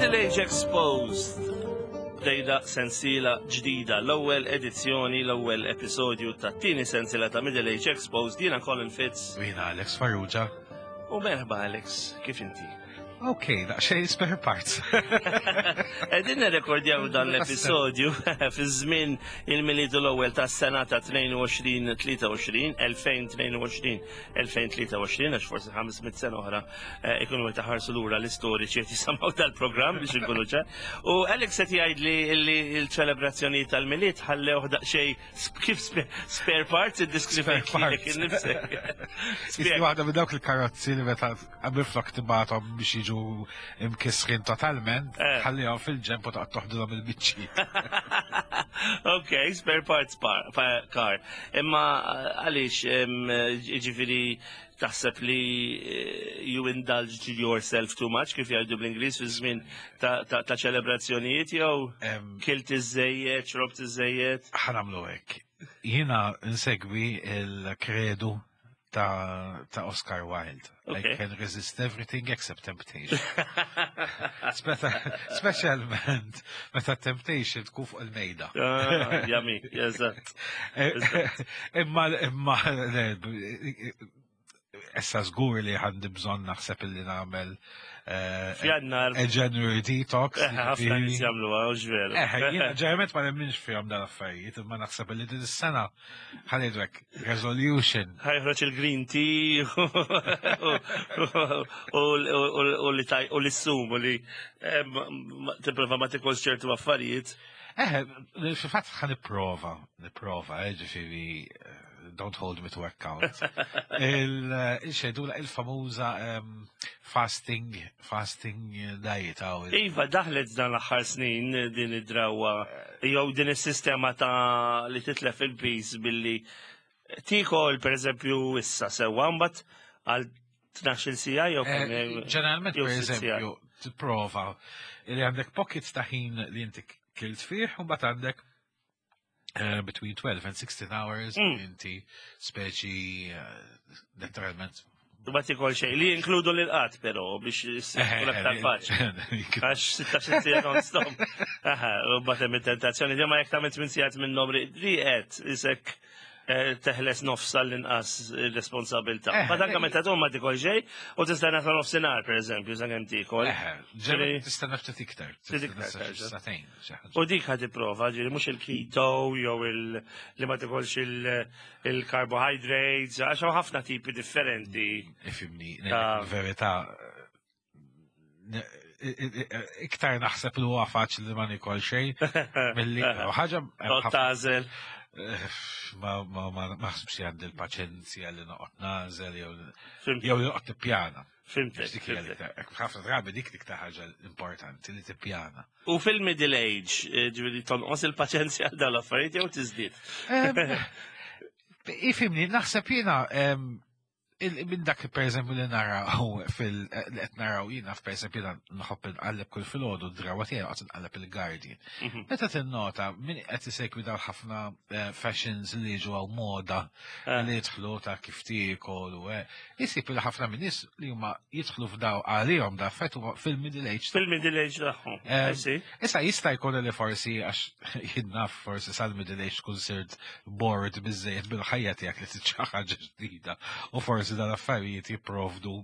Middle Age Exposed Bdejna sensiela ġdida, l-ewwel edizzjoni, l-ewwel episodju ta' tieni sensiela ta' Middle Age Exposed, jiena Colin Fitz. U jiena Alex Farrugia. U merħba Alex, kif inti? Ok, daqsxejn spare parts. Qegħdin nirrekordjaw dan l-episodju fi żmien il-Milied l-ewwel tas-sena ta' 22-23, 2022-2023, għax forsi 500 sena oħra eh, ikunu qed iħarsu lura l-istoriċi qed jisimgħu tal-programm biex inkunu ċar. U Alex qed jgħid li l-ċelebrazzjoni tal-Milied ħallew daqsxejn Kif spare parts id-diskrivejt lilek innifsek. Isni waħda minn dawk il-karozzi li meta minflok tibgħathom biex jiġu imkisrin totalment, eh. ħallihom fil-ġemp u toqgħod toħdilhom il-biċċi. Ok, spare parts car. Imma eh, għaliex ġifieri Taħseb li eh, you indulged yourself too much kif jgħidu bl-Ingliż fi żmien ta' ċelebrazzjonijiet jew kilt iżejjed, xrobt iżejjed? Ħanamlu hekk. Jiena nsegwi il-kredu ta', ta Oscar Wilde. Okay. I can resist everything except temptation. Specialment meta temptation tkun fuq il-mejda. Ah, yummy, eżatt. Eh, imma, imma, issa żgur li għandi bżonn naħseb illi nagħmel eh, F'jannar. A January detox. Eh, ħafna nies jagħmluha, hux veru. Eh, jiena ġeneralment ma nemminx fihom dan affarijiet, imma naħseb illi din is-sena ħanidrek resolution. Ħajħroġ il-green tea u li taj u li ssum u li tipprova ma tikolx ċertu affarijiet. Eh, fil-fatt ħa nipprova, nipprova, ġifieri don't hold me to account. Il-xedula il-famuża fasting, fasting diet. Iva, daħlet dan l-aħħar snin din id-drawa, jew din is-sistema ta' li titlef il-pis billi tikol, per eżempju, issa sewwa mbagħad għal 12 sija jew eh, Ġeneralment, per eżempju, tipprova li għandek pockets ta' ħin li inti kilt fih u mbagħad għandek Uh, between 12 and 16 hours inti speċi uh, letteralment Ma tikol xejn li jinkludu l qatt però biex tkun aktar faċli. Għax 16 sija non stop. Aha, u bagħad hemm it-tentazzjoni li ma jekk tagħmel 8 sigħat minnhom riqed isek eh, teħles nofs għall-inqas responsabilta. Eh, ma tanka meta tqum ma tikol xejn u tistenna sa nofsinhar pereżempju sakemm tikol. Eh, tistenna ftit iktar. Ftit iktar. Satejn. U dik ħad tipprova, ġieli mhux il-keto jew il li ma tikolx il-carbohydrates, għax hawn ħafna tipi differenti. Ifimni, verità iktar naħseb li huwa faċli li ma nikol xejn milli ħaġa tażel. Eh, ma ma ma naħsibx li għandi l-paċenzja li noqgħod nażel jew jew noqgħod tippjana. Fimtek. Ħafna drabi dik dik ta' ħaġa importanti li tippjana. U fil-middle age, eh, ġifieri tonqos il-paċenzja għal dawn l-affarijiet jew tiżdied. Ifimni, naħseb jiena minn dak per eżempju li naraw fil li qed naraw jiena per eżempju jiena nħobb inqalleb kull filgħodu d-drawa tiegħi qed inqalleb il-Guardian. Mhm. Meta tinnota min qed isegwi dawn ħafna eh, fashions li jiġu għaw moda eh. li jidħlu ta' kif tiekol u Isib li ħafna minn nies li huma jidħlu f'daw għalihom da affett huma fil-middle age. Fil-middle age tagħhom. Eh, issa jista' jkun li forsi għax jinnaf forsi sal-middle age tkun sirt bored biżejjed bil-ħajja tiegħek li trid xi ħaġa ġdida u forsi dan affarijiet jipprovdu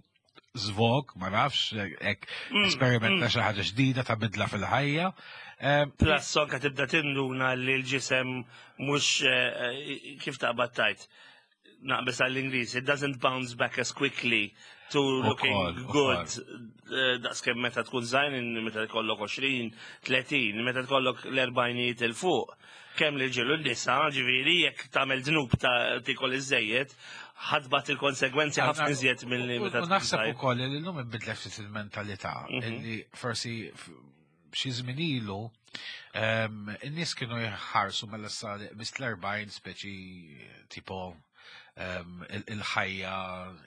zvog, ma nafx, ek esperimenta xi ħaġa ġdida ta' bidla fil-ħajja. Eh, Plus anke tibda tinduna li l-ġisem mhux eh, kif taqbad tajt naqbes għall-Ingliż, it doesn't bounce back as quickly to looking good. Eh, daqs kemm meta tkun żgħir, meta tkollok 20, 30, meta tkollok l-erbajnijiet il fuq. Kemm li ġilu n-nisa, ġifieri jekk tagħmel dnub ta' tikol iżejjed, ħadbat il-konsegwenzi ħafna iżjed milli meta tkun. Naħseb ukoll li llum inbidlet ftit il-mentalità mhm. li forsi xi żmien ilu in-nies kienu jħarsu mela sa bis l-40 speċi tipo il-ħajja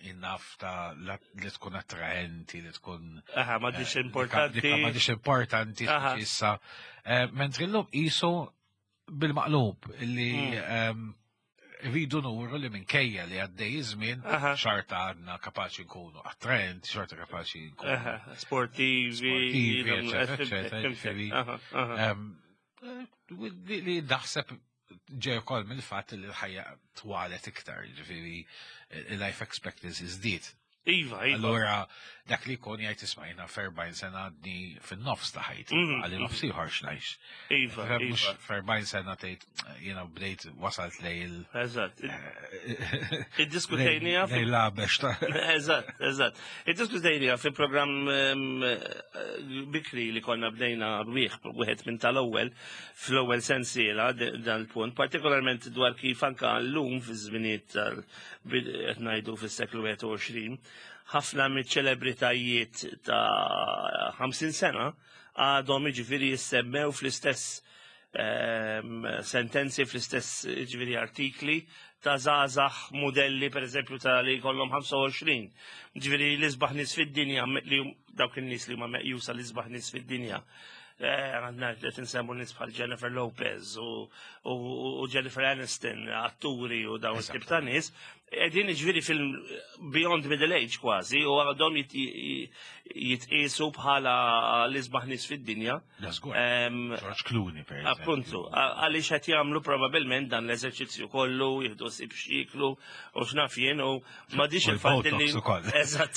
in-nafta li tkun attraenti, li tkun. Aha, ma eh, importanti. Ma importanti issa. Eh, mentri l-lum qisu bil-maqlub li mm. Rridu nuru li minkejja li għaddej iż-żmien, xorta għadna kapaċi nkunu attraenti, xorta kapaċi nkunu sportivi, sportivi, eccetera, eccetera. Li naħseb ġej ukoll mill-fatt li l-ħajja twalet iktar, ġifieri il-life expectancy żdied. Iva. Allura, dak li jkun jgħid isma' jiena f'erbgħin sena għadni fin-nofs ta' ħajti, għalli nofs ieħor x'ngħix. Iva. F'erbgħin sena tgħid jiena bdejt wasalt lej il. Eżatt. Iddiskutejnija. Lej labex ta' Eżatt, eżatt. Iddiskutejnija fi programm bikri li konna bdejna bih wieħed minn tal-ewwel fl-ewwel sensiela dan il-punt, partikolarment dwar kif anka llum fi żminijiet tal qed ngħidu fis-seklu 21, ħafna miċ-ċelebritajiet ta' 50 sena għadhom jiġifieri jissemmew fl-istess sentenzi, fl-istess jiġifieri artikli ta' żgħażagħ modelli, per eżempju, ta' li jkollhom 25. Ġifieri l-isbaħ nies fid-dinja, li dawk in-nies li huma meqjusa l-isbaħ nies fid-dinja. Għandna qed insemmu nies bħal Jennifer Lopez u Jennifer Aniston, atturi u dawn it-tip ta' nies, qegħdin ġifieri fil-beyond middle age kważi u għadhom jitqisu bħala l-isbaħ nies fid-dinja. George Clooney, per eżempju. Appuntu, għaliex qed jagħmlu probabbilment dan l-eżerċizzju kollu, jieħdu ħsieb x'jieklu u x'naf jien u m'għadix il-fatt li. Eżatt.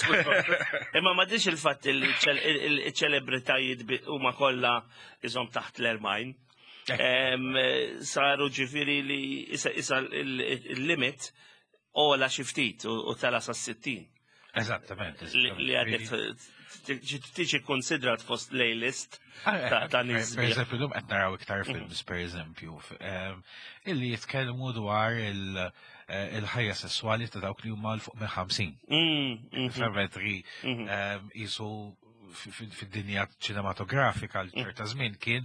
Imma m'għadix il-fatt li ċ-ċelebritajiet huma kollha iżhom taħt l-40. Saru ġifieri li issa il-limit ola xi ftit u tela sa 60. Eżattament. Li għadek tiġi konsidrat fost l-A-list ta' nies. Per eżempju, llum qed naraw iktar films, per eżempju, illi jitkellmu dwar il-ħajja sessuali ta' dawk li huma 'l fuq minn 50. Femetri jisu fid-dinja ċinematografika l ċerta żmien kien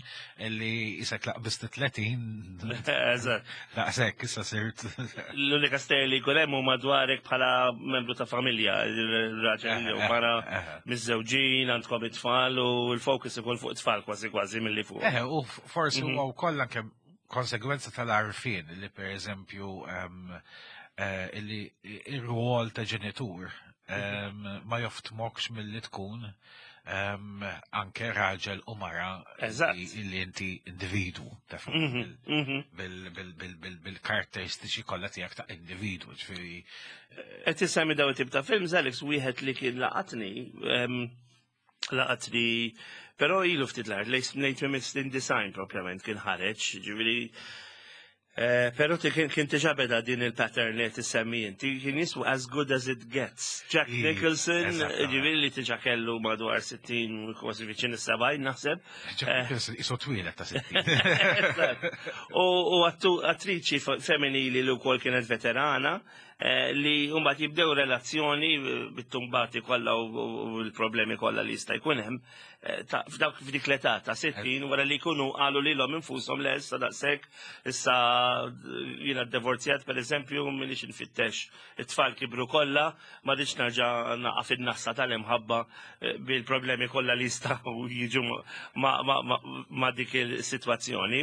li jisek laqbist 30. Eżatt. Daqshekk issa sirt. L-unika stejjer li jkun hemm huma dwarek bħala membru ta' familja, il-raġel jew mara miżżewġin, għandkom it-tfal u l-fokus ikun fuq it-tfal kważi kważi milli fuq. Eh, u forsi huwa wkoll anke konsegwenza tal-għarfien li, per eżempju, illi ir-rwol ta' ġenitur ma joftmokx milli tkun anke raġel u mara illi inti individu taf bil-karakteristiċi kollha tiegħek ta' individu, ġifieri. Qed isemmi dawn it-tip ta' films, Alex, wieħed li kien laqatni, però ilu ftit l-art, lejn 90 propjament kien ħareġ, ġifieri. Pero kien diġà beda din il-pattern li tissemmi inti, kien jismu As Good As It Gets. Jack Nicholson, ġifieri li diġà kellu madwar 60, kważi viċin is-70 naħseb. Jack Nicholson isu twieled ta' 60. U attriċi femminili li wkoll kienet veterana, li mbagħad jibdew relazzjoni bit-tumbati kollha u l-problemi kollha li jista' jkun hemm f'dawk f'dik l-età ta' 60 wara li jkunu qalu lilhom infushom le, issa daqshekk, issa jiena divorzjat, per eżempju, minix nfittex, it-tfal kibru kollha, ma rridx nerġa' naqa' fin-nassa tal-imħabba bil-problemi kollha li jistgħu jiġu ma' dik il-sitwazzjoni.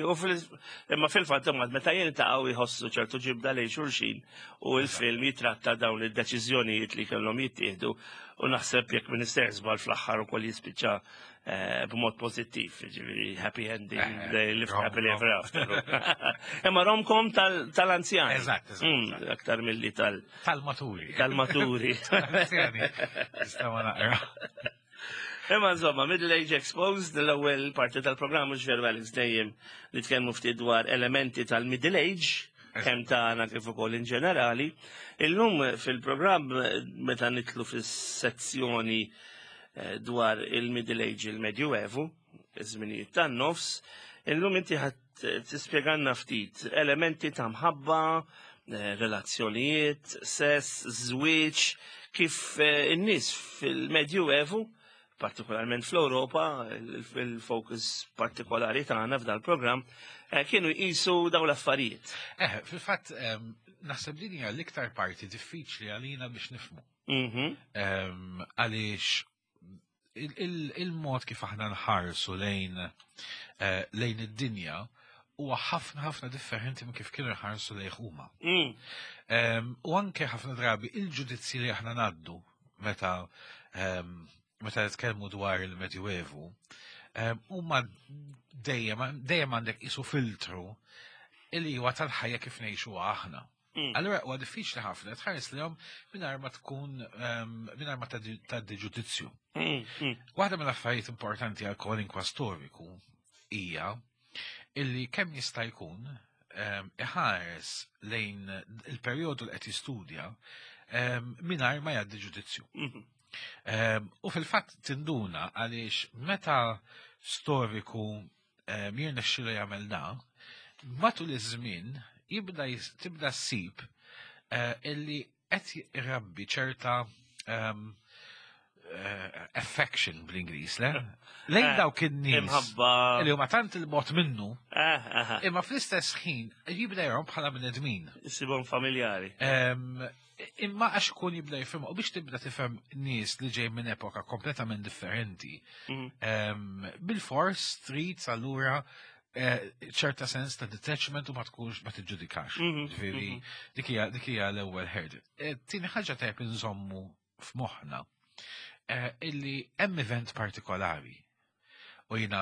Imma fil-fatt imbagħad meta jiltaqgħu jħossu ċertu ġibda lejn xulxin u l-film jitratta dawn id-deċiżjonijiet li kellhom jittieħdu u naħseb, jekk m'iniex sejjer żball, fl-aħħar ukoll jispiċċa b'mod pożittiv, ġifieri happy ending, they live happily ever after. Imma romcom tal-anzjani. Eżatt. Aktar milli tal- Tal-maturi. Tal-maturi. Tal-anzjani. Nistgħu naqra. Imma insomma, Middle Age Exposed, l-ewwel parti tal-programm, mhux veru, Alex, dejjem nitkellmu ftit dwar elementi tal-Middle Age, kemm tagħna kif ukoll in ġenerali. Illum fil-programm, meta nidħlu fis-sezzjoni dwar il-Middle Age, il-Medjuevu, iż-żminijiet tan-nofs, illum inti ħadd tispjegalna ftit elementi ta' mħabba, relazzjonijiet, sess, żwieġ, kif in-nies fil-Medjuevu, partikolarment fl-Europa, il-focus partikolari tagħna f'dal programm, kienu jqisu dawn l-affarijiet. Fil-fatt, naħseb din hija l-iktar parti diffiċli għalina biex nifhmu. Għaliex il-mod kif aħna nħarsu lejn id-dinja. huwa ħafna ħafna differenti minn kif kienu jħarsu lejh huma. U anke ħafna drabi il-ġudizzji li aħna ngħaddu meta meta nitkellmu dwar il-Medjuevu, huma dejjem dejjem għandek isu filtru illi huwa tal-ħajja kif ngħixu aħna. Allura huwa diffiċli ħafna tħares lihom mingħajr ma tkun mingħajr ma tgħaddi ġudizzju. Waħda mill-affarijiet importanti għal kwalinkwa storiku hija illi kemm jista' jkun iħares lejn il-perjodu li qed jistudja mingħajr ma jgħaddi ġudizzju. U fil-fatt tinduna għaliex meta storiku jirnexxilu jagħmel da, matul iż-żmien jibda tibda ssib illi qed irabbi ċerta affection bl-Ingliż, le? Lejn dawk in-nies Imħabba. li huma tant il-bogħod minnu, imma fl-istess ħin jibda jarahom bħala bnedmin. Isibhom familjari. Imma għax kun jibda jifhem u biex tibda tifhem nies li ġej minn epoka kompletament differenti, bil-fors trid allura ċerta sens ta' detachment u ma tkunx ma tiġġudikax. Ġifieri dik hija l-ewwel hurdle. Tieni ħaġa tajb inżommu f'moħħna illi hemm event partikolari. U jiena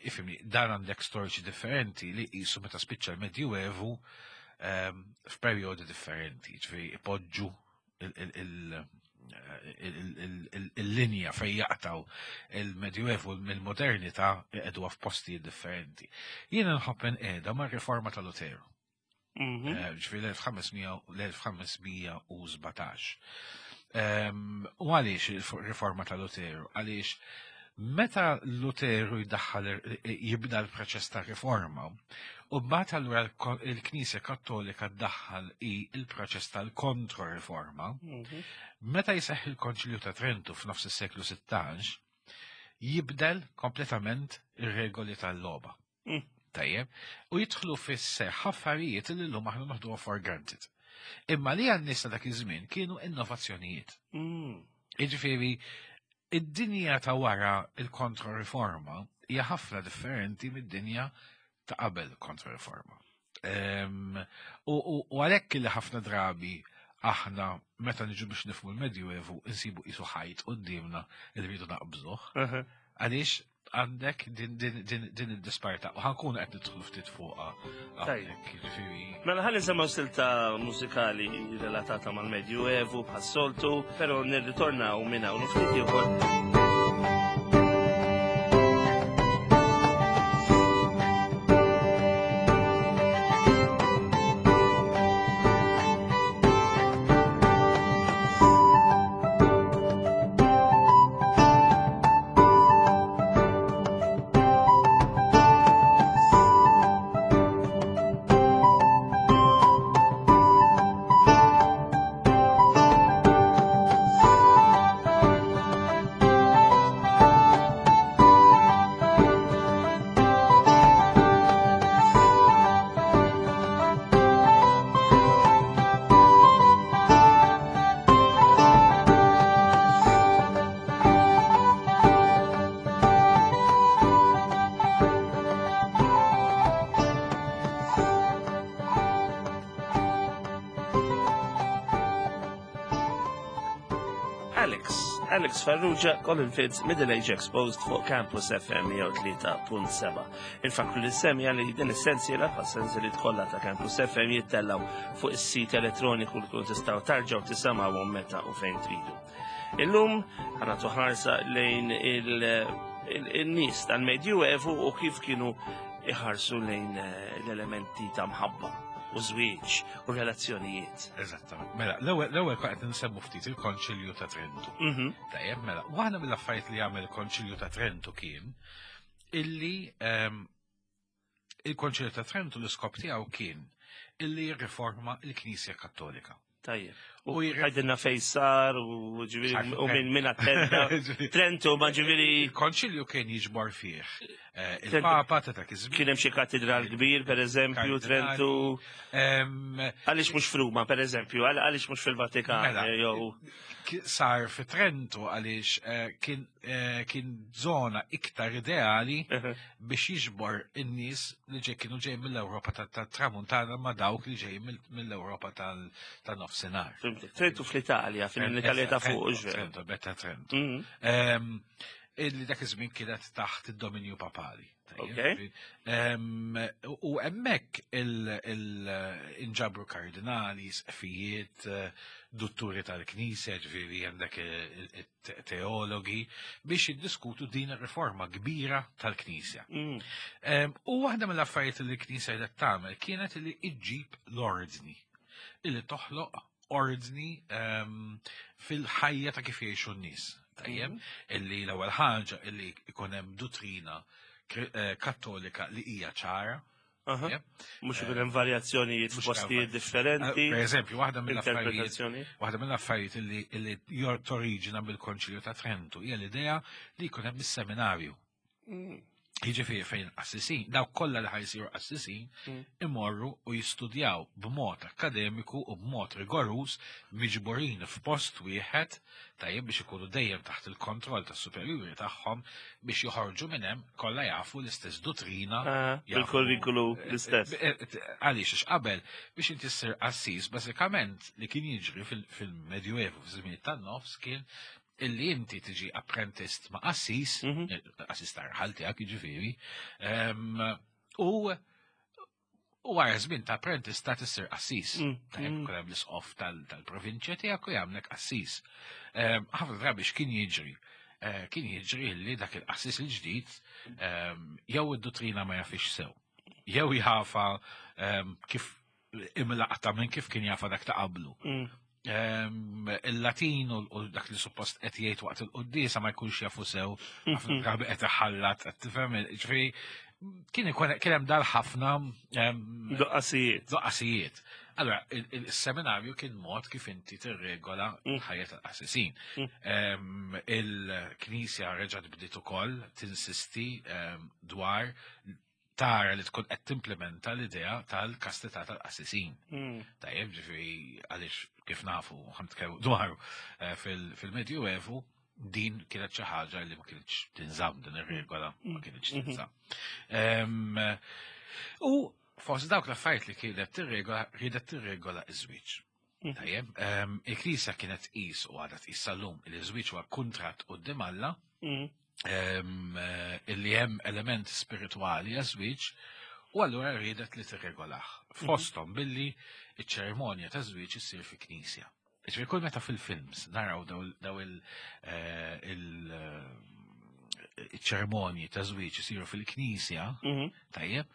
ifhimni, dan għandek storiċi differenti li qisu meta spiċċa l-Medjuevu f'perjodi differenti, ġifieri ipoġġu il-linja fej jaqtaw il-Medjuevu mill-modernità iqegħduha f'postijiet differenti. Jiena nħobb inqiegħda mar-riforma ta' Luteru. Ġifieri l-1517. U għaliex il-riforma ta' Luteru? Għaliex meta Luteru jdaħħal jibda l-proċess ta' riforma, u mbagħad allura il-Knisja Kattolika ddaħħal il-proċess tal-kontro-riforma, meta jseħħ il-Konċilju ta' Trentu f'nofs is-seklu 16, jibdel kompletament ir-regoli tal-logħba. Tajjeb, u jidħlu fis-seħħ affarijiet li llum aħna noħduha for granted. Imma li għan-nies ta' dak iż-żmien kienu innovazzjonijiet. Jiġifieri, id-dinja ta' wara il-kontro-riforma hija ħafna differenti mid-dinja ta' qabel kontro-riforma. U għalhekk li ħafna drabi aħna meta niġu biex nifhmu l-Medjuevu insibu qisu ħajt quddiemna li rridu naqbżuh. Għaliex għandek din id-disparità u ħa nkunu qed nidħlu ftit fuqha hawnhekk, jiġifieri. Mela ħalli nsemgħu silta mużikali relatata mal-Medjuevu bħas-soltu, però nirritornaw minn hawn ftit ieħor. Alex Farrugia, Colin Fitz, Middle Age Exposed fuq Campus FM 103.7. Infakkru lis-semmiegħa li din is-sensiela bħas-sensiliet kollha ta' Campus FM jittellaw fuq is-sit elettroniku li tkun tistgħu tarġgħu tisimgħuhom meta u fejn tridu. Illum ħa nagħtu ħarsa lejn il-nies tal-Medjuevu u kif kienu iħarsu lejn l-elementi ta' mħabba u żwieġ u relazzjonijiet. Eżattament. Mela, l-ewwel qed nsemmu ftit il-Konċilju ta' Trentu. Tajjeb, mela, waħda mill-affarijiet li jagħmel il-Konċilju ta' Trentu kien illi il-Konċilju ta' Trentu l-iskop tiegħu kien illi jirriforma l-Knisja Kattolika. Tajjeb. U għajdilna fejn sar u ġifieri u minn attenda. Trentu ma ġifieri. Il-Konċilju kien jiġbor fih il-Papa ta' dak iż-żmien. Kien hemm xi katedral kbir, per eżempju, Trentu. Għaliex mhux f'Ruma, per eżempju, għaliex mhux fil-Vatikan, Mela, jew sar fi Trentu għaliex kien kien zona iktar ideali biex jiġbor in-nies li ġej kienu ġej mill-Ewropa tat-Tramuntana ma' dawk li ġej mill-Ewropa tan-Nofsinhar. Trentu fl-Italja, fil-Italja ta' fuq. Trento, betta Trento. Illi dak iż-żmien kienet taħt id-dominju papali. U hemmhekk inġabru kardinali, sqfijiet, dutturi tal-Knisja, ġifieri għandek teologi biex jiddiskutu din ir-riforma kbira tal-Knisja. U waħda mill-affarijiet li l-Knisja qed tagħmel kienet li iġġib l-ordni, illi toħloq ordni fil-ħajja ta' kif jgħixu n-nies. Tajjeb, illi l-ewwel ħaġa illi ikun hemm duttrina kattolika li hija ċara. Mhux ikun hemm varjazzjonijiet f'postijiet differenti. Per eżempju, waħda mill-affarijiet waħda mill-affarijiet illi torriġina mill-Konċilju ta' Trentu hija l-idea li jkun hemm is-seminarju. Jiġifieri fejn qassisin, dawk kollha li ħajsiru qassisin imorru u jistudjaw b'mod akademiku u b'mod rigoruż miġburin f'post wieħed tajjeb biex ikunu dejjem taħt il-kontroll tas-superjuri tagħhom biex joħorġu minn hemm kollha jafu l-istess duttrina. Il-kurrikulu l-istess. Għaliex għax qabel biex inti ssir qassis bażikament li kien jiġri fil-Medjuevu fiż-żmien tan-nofs kien illi inti tiġi apprentist ma' qassis, qassis tar-raħal tiegħek jiġifieri, u wara żmien ta' apprentist ta' tissir qassis. Tajjeb, ikun hemm l-isqof tal-provinċja tiegħek u jagħmlek qassis. Ħafna drabi x'kien jiġri? Kien jiġri li dak il-qassis il-ġdid jew id-duttrina ma jafix sew, jew jafa kif imlaqta minn kif kien jafa dak ta' qablu. Il-Latin u dak li suppost qed jgħid waqt il-quddiesa ma jkunx jafu sew, ħafna drabi qed iħallat, qed tifhem, ġifieri kien ikun kien hemm dal ħafna Doqqasijiet. Doqqasijiet. Allora, il-seminarju kien mod kif inti tirregola ħajja tal-qassisin. Il-Knisja reġgħet bdiet ukoll tinsisti dwar tara li tkun qed timplementa l-idea tal-kastità tal-qassisin. Tajjeb, ġifieri għaliex kif nafu ħantkellmu dwaru fil-Medjuevu din kienet xi ħaġa li ma kienx tinżamm din ir-regola, ma kienx tinżamm. U fost dawk l-affarijiet li kienet tirregola, riedet tirregola iż-żwieġ. Tajjeb, il-Knisja kienet tqis u għadha tqis sal-lum li ż-żwieġ huwa kuntratt quddiem Alla, illi hemm element spiritwali għaż-żwieġ, u allura riedet li tirregolah. Fosthom billi iċ-ċerimonja ta' żwieġ issir fi knisja. Ġifieri kull meta fil-films naraw daw il-ċerimonji ta' żwieġ isiru fil-knisja, tajjeb,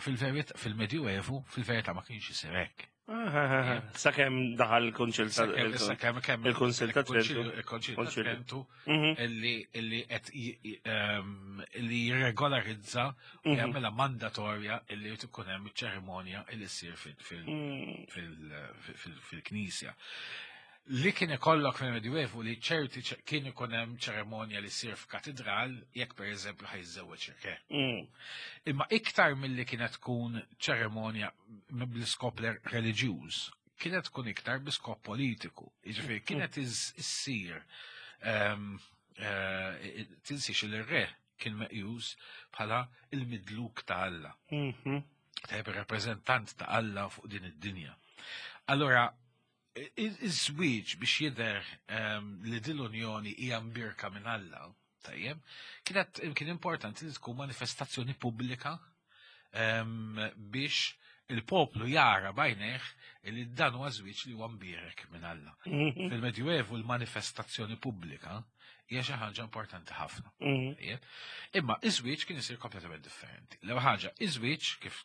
fil-Medjuevu, fil-verità ma kienx isir hekk. Sakemm daħal il-Kunċil ta' Sakemm il-Kunsil ta' Trentu. Il-Kunsil ta' Trentu illi qed illi jirregolarizza u jagħmilha mandatorja illi jrid ikun hemm iċ-ċerimonja illi ssir fil-knisja. Li kien ikollok fil-Medjuevu li ċerti kien ikun hemm ċerimonja li ssir f'katedral jekk pereżempju ħa jiżżewweġ re. Imma iktar milli kienet tkun ċerimonja bl-iskop reliġjuż, kienet tkun iktar bi skop politiku. Jiġifieri kienet issir tinsiex li r-re kien meqjus bħala il-midluk ta' Alla. Tajjeb, ir-rappreżentant ta' Alla fuq din id-dinja. Allora, iż-żwieġ biex jidher li din l-unjoni hija mbirka minn Alla, tajjeb, kienet kien importanti li tkun manifestazzjoni pubblika biex il-poplu jara bajnejh li dan huwa żwieġ li huwa mbierek minn Alla. Fil-Medjuevu l-manifestazzjoni pubblika hija xi ħaġa importanti ħafna. Tajjeb. Imma iż-żwieġ kien isir kompletament differenti. L-ewwel ħaġa, iż-żwieġ kif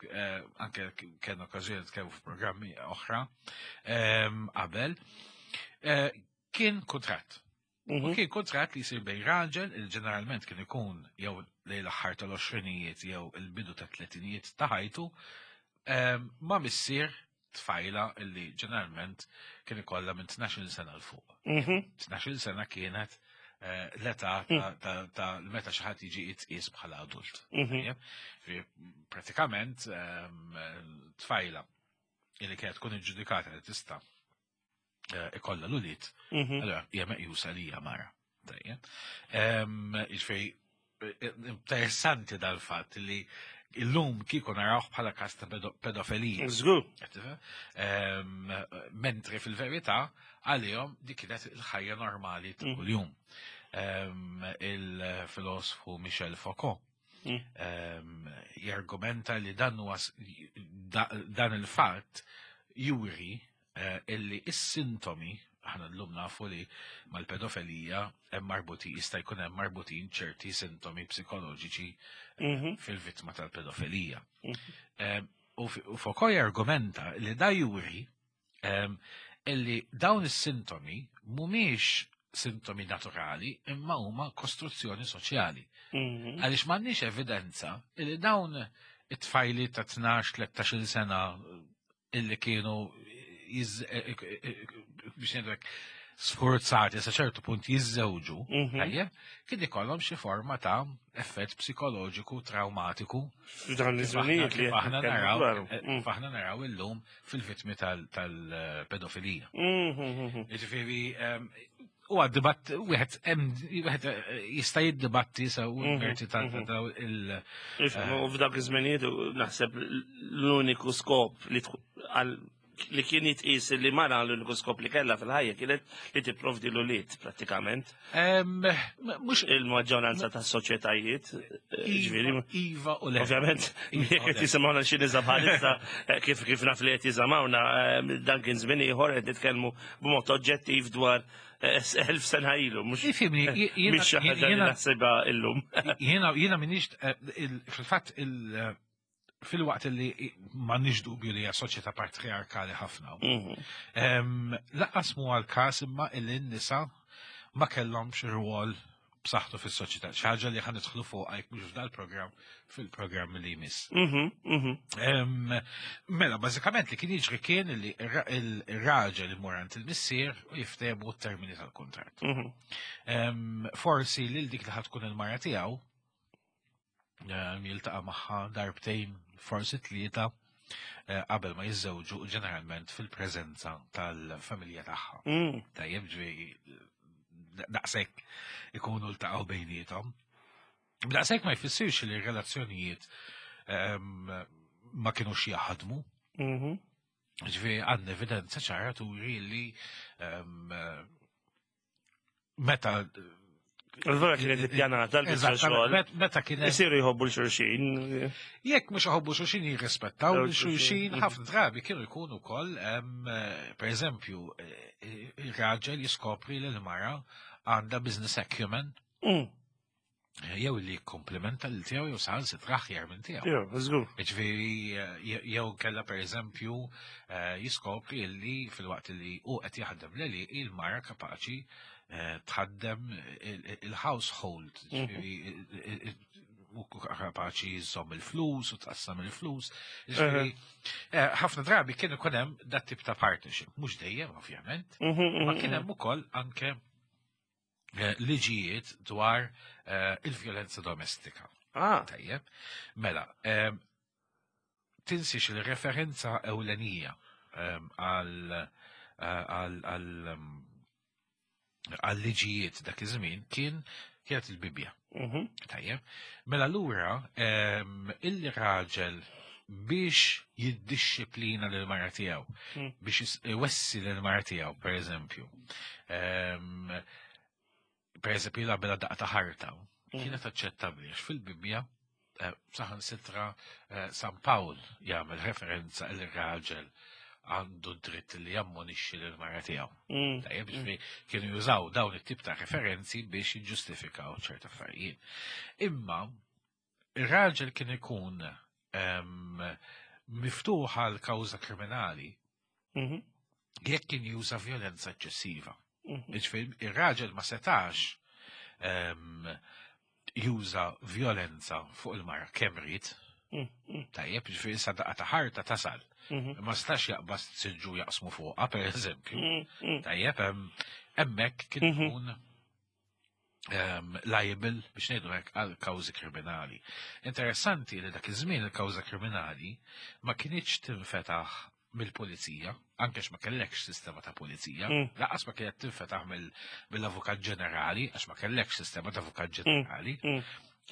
anke kellna okkażjoni nitkellmu f'programmi oħra qabel, kien kuntratt. U kien kuntratt li jsir bejn raġel, il ġeneralment kien ikun jew lejn l-aħħar tal-għoxrinijiet jew il-bidu tat-tletinijiet ta' ħajtu, ma' missier tfajla illi ġeneralment kien ikollha minn 12 sena 'l fuq. 12 sena kienet l-età ta' meta xi ħadd jiġi jitqies bħala adult. Pratikament tfajla illi kienet tkun iġġudikata li tista' ikollha l-ulied, allura hija meqjusa li hija mara. Tajjeb. Jiġifieri interessanti dal-fatt li illum kieku narawh bħala każ ta' pedofilija. Żgur. Mentri fil-verità għalihom dik kienet il-ħajja normali ta' mm. kuljum. Il-filosfu Michel Foucault mm. jargumenta li dan dan il-fatt juri eh, illi is-sintomi aħna llum nafu li mal-pedofilija hemm marbuti jista' jkun hemm marbutin ċerti sintomi psikoloġiċi eh, mhm. fil-vittma tal-pedofilija. Mhm. Eh, u Foucault argumenta li da juri ehm, illi dawn is-sintomi mhumiex sintomi naturali imma huma kostruzzjoni soċjali. Mhm. Għaliex m'għandniex evidenza illi dawn it-tfajli ta' 12-13 sena illi kienu biex ngħidlek sforzati sa ċertu punt jiżżewġu, mhm. tajjeb, kien ikollhom xi forma ta' effett psikoloġiku traumatiku. F'dan iż-żminijiet li aħna naraw eh, mm. aħna naraw illum fil-vittmi tal-pedofilija. Mhm. Jiġifieri ehm, huwa dibatt wieħed hemm wieħed eh, jista' jiddibatti sew mhm, merti ta' mhm. daw il eh, U f'dak iż-żminijiet naħseb l-uniku skop li li kien jitqis li mara l-uniku skop li kellha fil-ħajja kienet li tipprovdi l-ulied prattikament. Mhux il-maġġoranza tas soċjetajiet, eh, ġifieri. Iva u le. Ovvjament, jekk qed jisimgħuna xi niża bħalissa kif kif naf li qed jisimgħuna dan kien żmien ieħor qed nitkellmu b'mod oġġettiv dwar eh, sena ilu, mux. Ifimni, mux xi ħaġa li naħsibha illum. Jiena jiena minix eh, fil-fatt eh, fil-waqt li ma nix dubju li hija soċjetà patriarkali ħafna. Mhm. Laqqas mu għal-każ imma illi n-nisa ma kellhomx rwol b'saħħtu fis-soċjetà. Xi ħaġa li ħa nidħlu fuqha jekk mhux f'dal-programm fil-programm li jmiss. Mhm, mhm. Mela, bażikament li kien jiġri kien li ir-raġel imur għand il-missier u jiftehmu t-termini tal-kuntratt. Mhm. Forsi lil dik li ħad tkun il-mara tiegħu jiltaqa' magħha darbtejn forsi tlieta eh, qabel ma jiżżewġu ġeneralment fil-preżenza tal-familja tagħha. Mm. Tajjeb ġri daqshekk ikunu ltaqgħu bejniethom. Daqshekk ma jfissirx li r-relazzjonijiet ehm, ma kinux jaħdmu. Mhm. Ġifieri għandna evidenza ċara turi li ehm, meta Allura kienet ippjanata l-biċċa xogħol. Meta kienet. Isiru jħobbu l-xulxin. Jekk mhux iħobbu xulxin jirrispettaw l-xulxin, mm. ħafna drabi kienu jkunu wkoll, pereżempju, eh, ir-raġel jiskopri li l-mara għandha business acumen. Mm. Jew li jikkomplimenta lil tiegħu jew saħansitra aħjar minn tiegħu. Jew, żgur. Jiġifieri eh, jew kellha pereżempju eh, jiskopri li filwaqt li hu qed jaħdem leli il-mara kapaċi eh, tħaddem il-household, mhm. ġifieri u kapaċi jżomm il-flus u tqassam il-flus. Ġifieri, ħafna drabi kien ikun hemm dat tip ta' partnership, mhux dejjem ovvjament, mhm, ma mhm, kien hemm ukoll anke Eh, liġijiet dwar eh, il-vjolenza domestika. Ah. Tajjeb. Mela, tinsiex il-referenza ewlenija għal eh, għal liġijiet dak iż-żmien kien kienet il-Bibja. Mhm. Tajjeb. Mela lura il-raġel biex jiddixxiplina lil mara tiegħu, mm. biex iwessi lil mara tiegħu, per eżempju. Per eżempju, jilgħab daqqa ta' ħarta. Mm. Kienet aċċettabbli għax fil-Bibbja eh, saħan sitra eh, San Pawl jagħmel referenza il raġel għandu dritt li jammonixxi lil mara tiegħu. Mm. Tajjeb, ġifieri kienu jużaw dawn it-tip ta' referenzi biex jiġġustifikaw ċerta affarijiet. Imma ir-raġel kien ikun miftuħ għal kawża kriminali mhm. jekk kien juża violenza eċċessiva. Mhm. Jiġifieri ir-raġel ma setax juża violenza fuq il-mara kemm ried. Mhm. Tajjeb, ġifieri sa daqqa ta' ħarta tasal. Ma stax jaqbas siġġu jaqsmu fuqha, per eżempju. Tajjeb, hemmhekk kien ikun um, liable biex ngħidu hekk għal kawżi kriminali. Interessanti li dak iż-żmien il-kawża kriminali ma kinitx tinfetaħ mill-pulizija, anke ma kellekx sistema ta' pulizija, lanqas ma kienet tinfetaħ mill-avukat ġenerali, għax ma kellekx sistema ta' avukat ġenerali,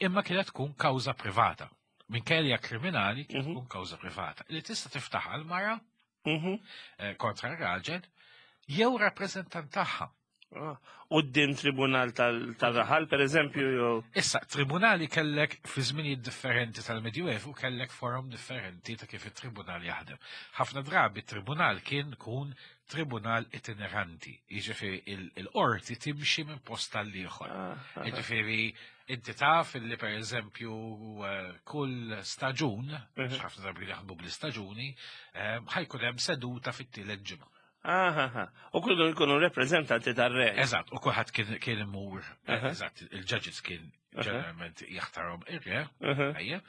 imma kienet tkun kawża privata. Minkejja kriminali kienet tkun kawża privata li tista' tiftaħ għal mara kontra r-raġel jew rappreżentant tagħha. Quddiem tribunal tal-raħal, per eżempju, jew. Issa, tribunali kellek fi żminijiet differenti tal-Medjuevu kellek forum differenti ta' kif it-tribunal jaħdem. Ħafna drabi tribunal kien kun tribunal itineranti, jiġifieri il-qorti timxi minn post tal-ieħor. Jiġifieri inti taf li per eżempju kull staġun, ħafna drabi jaħdmu bl-istaġuni, ħa jkun hemm seduta fit-tielet ġimgħa. Aha, u kullu jkunu rappresentanti tar-re. Eżatt, u kulħadd kien imur, eżatt, il-judges kien ġeneralment jaħtarhom ir-re, ejja.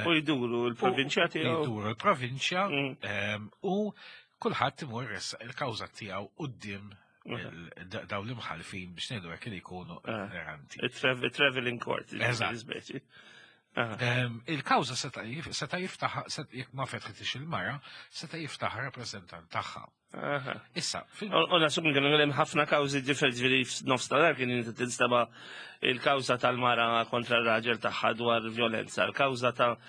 U jduru l-provinċja tiegħu. Jduru l-provinċja u kulħadd imur ressaq il-kawża tiegħu quddiem daw l-imħalfin biex ngħidu hekk li jkunu itineranti. Il-traveling court. Eżatt. Speċi. Il-kawża seta' jiftaħ, jekk ma fetħitix il-mara, seta' jiftaħ rappreżentant tagħha. Issa, fil- U nasum kienu hemm ħafna kawżi differenti ġifieri f'nofs tal kien inti tinstema il-kawża tal-mara kontra r-raġel tagħha dwar violenza, il-kawża ta'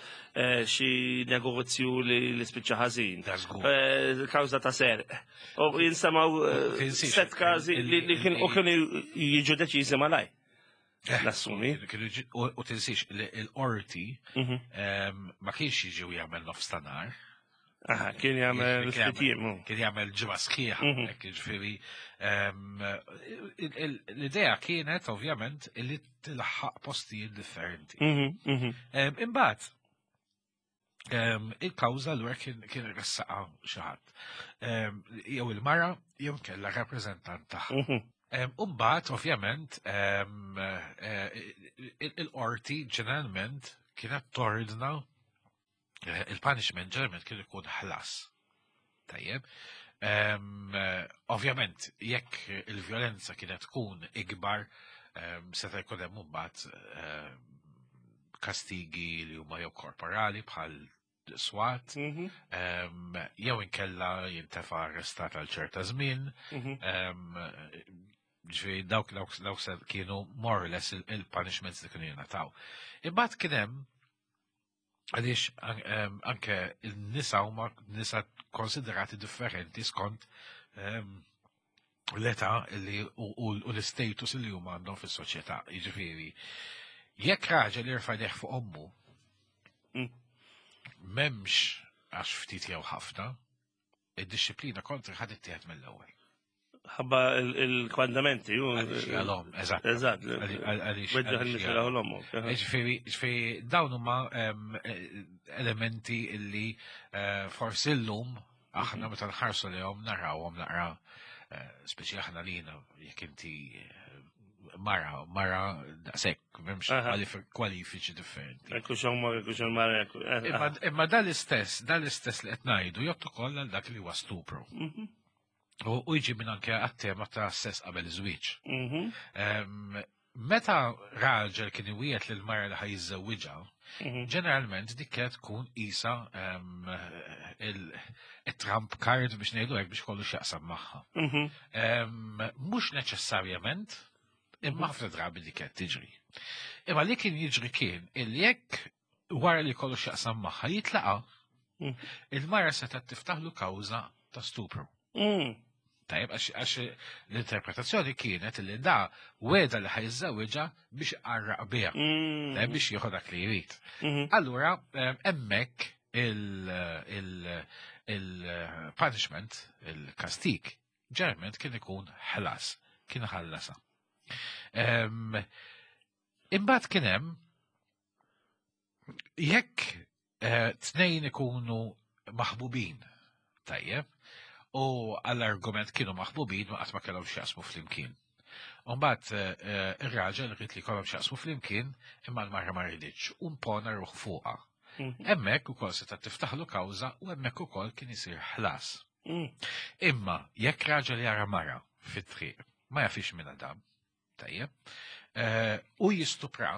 xi negozju li spiċċa ħażin, Da żgur. Il-kawża ta' serq. U jinsemaw Tinsiex set każi li kien u kienu jiġu deċiżi malaj. Nassumi. U tinsiex li l-qorti ma kienx jiġi u jagħmel nofs ta' nhar. Aha, kien jagħmel Kien ftit jiem. Kien jagħmel ġimgħa sħiħa, hekk jiġifieri l-idea kienet ovvjament li tilħaq postijiet differenti. Imbagħad il-kawża l kien ressaqa xi ħadd. Jew il-mara jew kella rappreżentant tagħha. Umbagħad, ovvjament, il-qorti ġeneralment kienet tordna il-punishment ġeneralment kien ikun ħlas. Tajjeb. Ovvjament, jekk il-violenza kienet tkun ikbar, seta' jkun hemm imbagħad kastigi li huma jew korporali bħal swat, jew inkella jintefa arrestat għal ċerta żmien, ġifieri dawk se kienu more or less il-punishments li kienu jingħataw. Imbagħad kien hemm għaliex anke il-nisa huma nisa konsiderati differenti skont l-età li u l-status li huma għandhom fis-soċjetà. Jiġifieri, jekk raġel jirfa' idejh fuq ommu, m'hemmx għax ftit jew ħafna, id-disciplina kontra ħad ittieħed mill-ewwel. Ħabba il-kmandamenti. Għaliex għalhom, eżatt. Eżatt. Għaliex Weġġaħ għaliex il-missira għalhom. u l-ommu. Ġifieri dawn huma elementi illi forsi llum aħna meta nħarsu lejhom narawhom naqra speċi aħna lina jekk inti mara daqshekk m'hemmx kwalifiċi differenti. Ekku xomma, ekku xomma, ekku. Imma dal-istess li qed ngħidu jgħod ukoll għal dak li huwa stupru. U jiġi minn anke għat-tema ta' sess qabel iż-żwieġ. Meta raġel kien iwiegħed lil mara li ħa jiżżewwiġha, ġeneralment dik kienet tkun isa il-trump card biex ngħidu hekk biex kollu x'jaqsam magħha. Mhux neċessarjament, imma ħafna drabi dik kienet tiġri. Imma li kien jiġri kien illi jekk wara li kollu x'jaqsam magħha jitlaqa, il-mara setgħet tiftaħlu kawża ta' stupru. Tajjeb, għax l-interpretazzjoni kienet li da weda li ħa jiżżewwiġha biex qarraq biha. Tajjeb, biex jieħu dak li jrid. Allura, hemmhekk il-punishment, il-kastik, ġeneralment kien ikun ħlas, kien ħallasa. Imbagħad kien hemm jekk tnejn ikunu maħbubin, tajjeb, u għall-argument kienu maħbubin ma qatt ma kellhom x'jaqsmu flimkien. Umbagħad ir-raġel ried li kellhom x'jaqsmu flimkien imma l-mara ma riditx u impona ruħu fuqha. Hemmhekk ukoll seta' tiftaħlu kawża u hemmhekk ukoll kien isir ħlas. Imma jekk raġel jara mara fit-triq ma jafix minn Adam, tajjeb, u jistupra,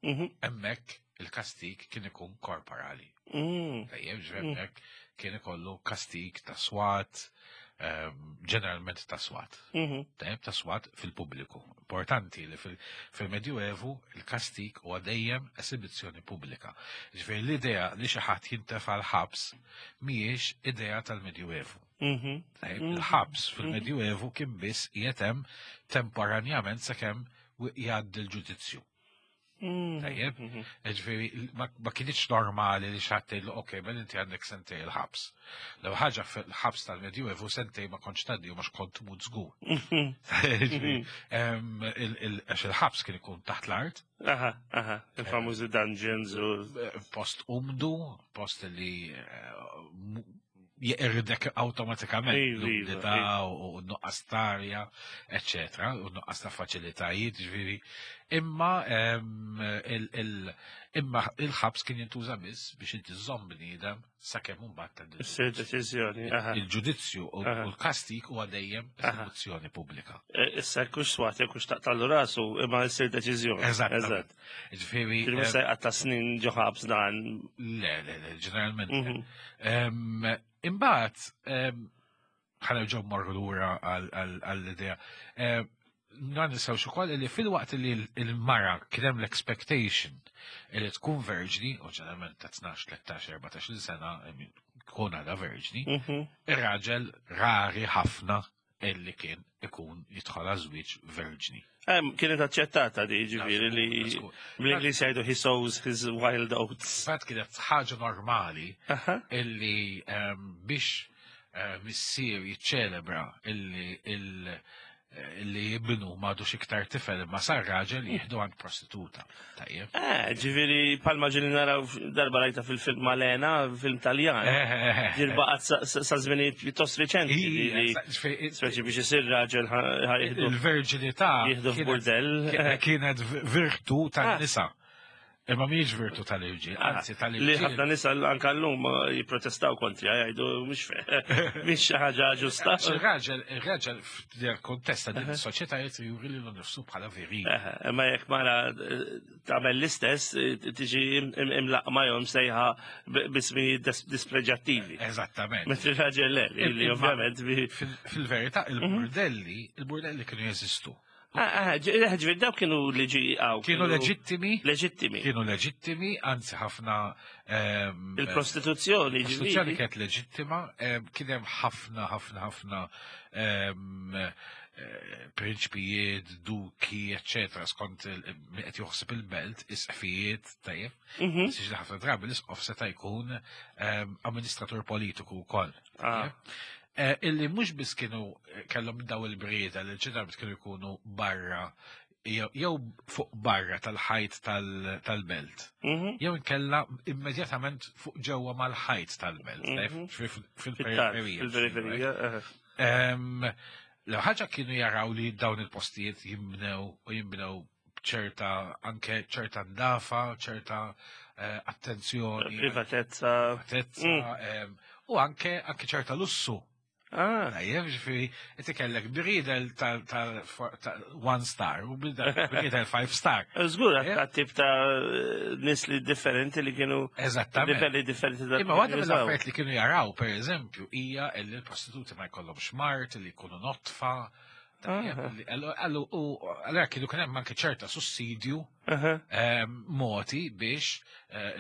hemmhekk il-kastig kien ikun korporali. Tajjeb, ġifieri hekk kien ikollu kastig ta' swat, ġeneralment ta' swat. Tajjeb, ta' swat fil-pubbliku. Importanti li fil-Medjuevu il-kastig huwa dejjem esibizzjoni pubblika. Ġifieri l-idea li xi ħadd jintefa' l-ħabs mhijiex idea tal-Medjuevu. Tajjeb, il-ħabs fil-Medjuevu kien biss qiegħed hemm temporanjament sakemm jgħaddi l-ġudizzju. Tajjeb, ġifieri ma kienx normali li xi ħadd tgħidlu ok, mela inti għandek sentej il-ħabs. L ħaġa fil-ħabs tal-Medjuevu sentej ma kontx tgħaddi u mhux kont tmut żgur. Ġifieri, għax il-ħabs kien ikun taħt l-art. Aha, aha, il-famużi dungeons u. Post umdu, post li jeqirdek awtomatikament l-umdità u nuqqas tarja, eccetera, u nuqqas ta' faċilitajiet, ġifieri. Imma imma il-ħabs kien jintuża biss biex inti żomm bniedem sakemm imbagħad tgħaddi Issir deċiżjoni. Il-ġudizzju u l-kastig huwa dejjem eżekuzzjoni pubblika. Issa kux swat, kux taqtallu rasu, imma issir deċiżjoni. Eżatt. Ġifieri. Ġifieri mhux se jqatta' snin ġo ħabs dan. Le, le, le, ġeneralment. Imbagħad ħa nerġgħu mmorru lura għall-idea. Ma ninsewx ukoll li filwaqt li l-mara kien hemm l-expectation li tkun verġni, u ġeneralment ta' 12, 13, 14 sena tkun għadha verġni, ir-raġel rari ħafna illi kien ikun jidħol għaż-żwieġ verġni. Kienet aċċettata di ġifieri li bl-Ingliż jgħidu he sows his wild oats. Fatt kienet ħaġa normali illi biex missier jiċċelebra illi illi ibnu m'għadux iktar tifel imma sar raġel jieħdu għand prostituta. Tajjeb. Ġifieri palma ġili naraw darba rajta fil-film Malena, film Taljan. Ġir baqgħet sa żminijiet pjuttost riċenti li speċi biex isir raġel ħa jieħdu Il-verġinità jieħdu f'burdell. kienet virtu tan-nisa. Imma mhijiex virtu tal-irġiel, anzi tal-irġiel. Li ħafna nisa anka llum jipprotestaw kontri, jgħidu mhix xi ħaġa ġusta. Il-raġel, il-raġel f'dil-kontest ta' din is-soċjetà jrid juri lilu nnifsu bħala viril. Imma jekk mara tagħmel l-istess, tiġi imlaqma jew msejħa b'ismijiet dispreġattivi. Eżattament. Mentri raġel le, li ovvjament Fil-verità, il-burdelli kienu jeżistu. Ġifieri dawk kienu liġi għaw. Kienu leġittimi. Leġittimi. Kienu leġittimi, anzi ħafna. Il-prostituzzjoni, Il-prostituzzjoni kienet leġittima, kien hemm ħafna, ħafna, ħafna prinċpijiet, duki, eccetera, skont qed joħseb il-belt, isqfijiet, tajjeb. Siġi ħafna drabi l-isqof seta' jkun amministratur politiku wkoll. Illi mhux biss kienu kellhom daw il-brieda li ġeneralment kienu jkunu barra jew fuq barra tal-ħajt tal-belt. Jew inkella immedjatament fuq ġewwa mal-ħajt tal-belt, fil-periferija. Fil-periferija. L-ħaġa kienu jaraw li dawn il-postijiet jimbnew u jimbnew ċerta anke ċerta ndafa, ċerta attenzjoni. Privatezza. Privatezza, u anke ċerta lussu. Tajjeb, ġifieri, inti kellek bridel tal one star u bridel five star. Żgur, għat tip ta' nies li differenti li kienu. Eżattament. Livelli differenti ta' Imma waħda mill-affarijiet li kienu jaraw, per eżempju, hija li l-prostituti ma jkollhomx mard, li jkunu notfa. Għallu, u għallura kienu kien hemm anke ċerta sussidju moti biex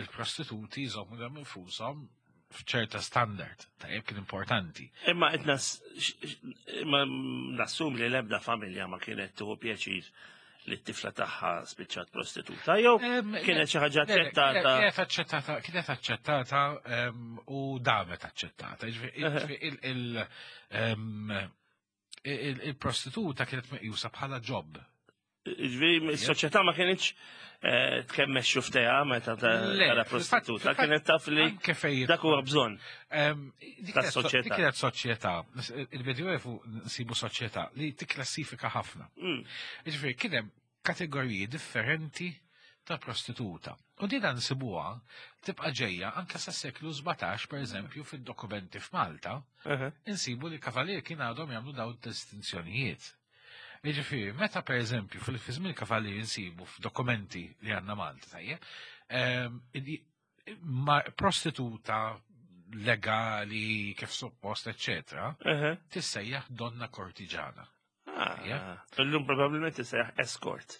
il-prostituti jżommu lilhom infushom f'ċerta standard, tajjeb kien importanti. Imma qed imma nassum li l-ebda familja ma kienet tieħu pjaċir li t-tifla tagħha spiċċat prostituta, jew kienet xi ħaġa aċċettata. Kienet aċċettata, kienet aċċettata u damet aċċettata. Ġifieri, il-prostituta kienet meqjusa bħala job. Ġifieri, is-soċjetà ma kienx tkemmex xuftejha meta tara prostituta, kienet taf li dak huwa bżonn. Dik kienet soċjetà, il-Medjuevu nsibu soċjetà li tikklassifika ħafna. Ġifieri, kien hemm kategoriji differenti ta' prostituta. U din nsibuha tibqa' ġejja anke sa seklu 17, per eżempju, fid-dokumenti f'Malta, insibu li kavalier kien għadhom jagħmlu dawn distinzjonijiet. Jiġifieri, meta per eżempju fil-żmien kavalier insibu f'dokumenti li għandna Malta, tajjeb, Prostituta legali kif suppost, eccetera, tissejjaħ donna kortiġana. Ah, illum probabilment tissejjaħ escort.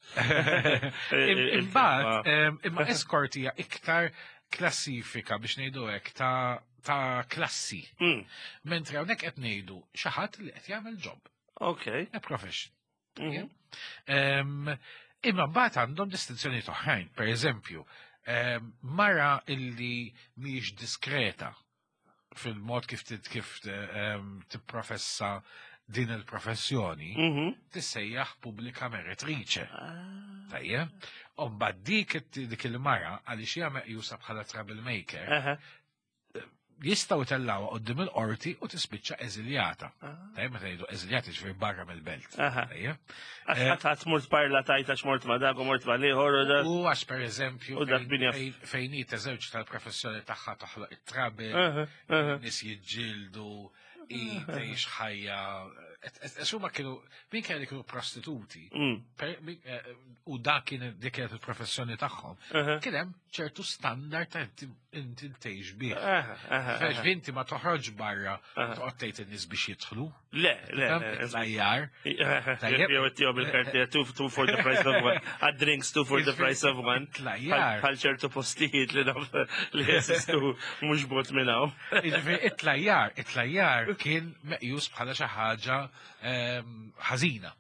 Imbagħad, imma escort hija iktar klassifika biex ngħidu hekk ta' klassi. Mentri hawnhekk qed ngħidu xi ħadd li qed jagħmel job. Ok. A profession. Imma mbagħad għandhom distinzjoni oħrajn, per eżempju, mara illi mhijiex diskreta fil-mod kif kif tipprofessa din il-professjoni, tissejjaħ pubblika meretrice. Ah. Tajjeb? U mbagħad dik il-mara għaliex hija meqjusa bħala troublemaker, jistgħu jtellgħuha quddiem il-qorti u tispiċċa eżiljata. Ah. Tajjeb, meta jgħidu eżiljata ġifieri barra mill-belt. Tajjeb. Għax ħadd mort parla tajt għax mort ma dak u mort ma l-ieħor u dak. U għax pereżempju fejn hi teżewġ tal-professjoni tagħha toħloq it-trabi, nies jiġġieldu, i tgħix ħajja. Għax huma kienu, min kelli kienu prostituti, u dak kien dik kienet il-professjoni tagħhom, kien hemm ċertu standard ta' inti tgħix bih. Għax inti ma toħroġ barra toqgħod tgħid in-nies biex jidħlu. Le, le, Tlajjar. Jew ittihom bil-karti two for the price of one. Għad drinks two for the price of one. Tlajjar. Bħal ċertu postijiet li naf li jeżistu mhux bot minn hawn. Jiġifieri it-tlajjar, it-tlajjar kien meqjus bħala xi ħaġa ħażina.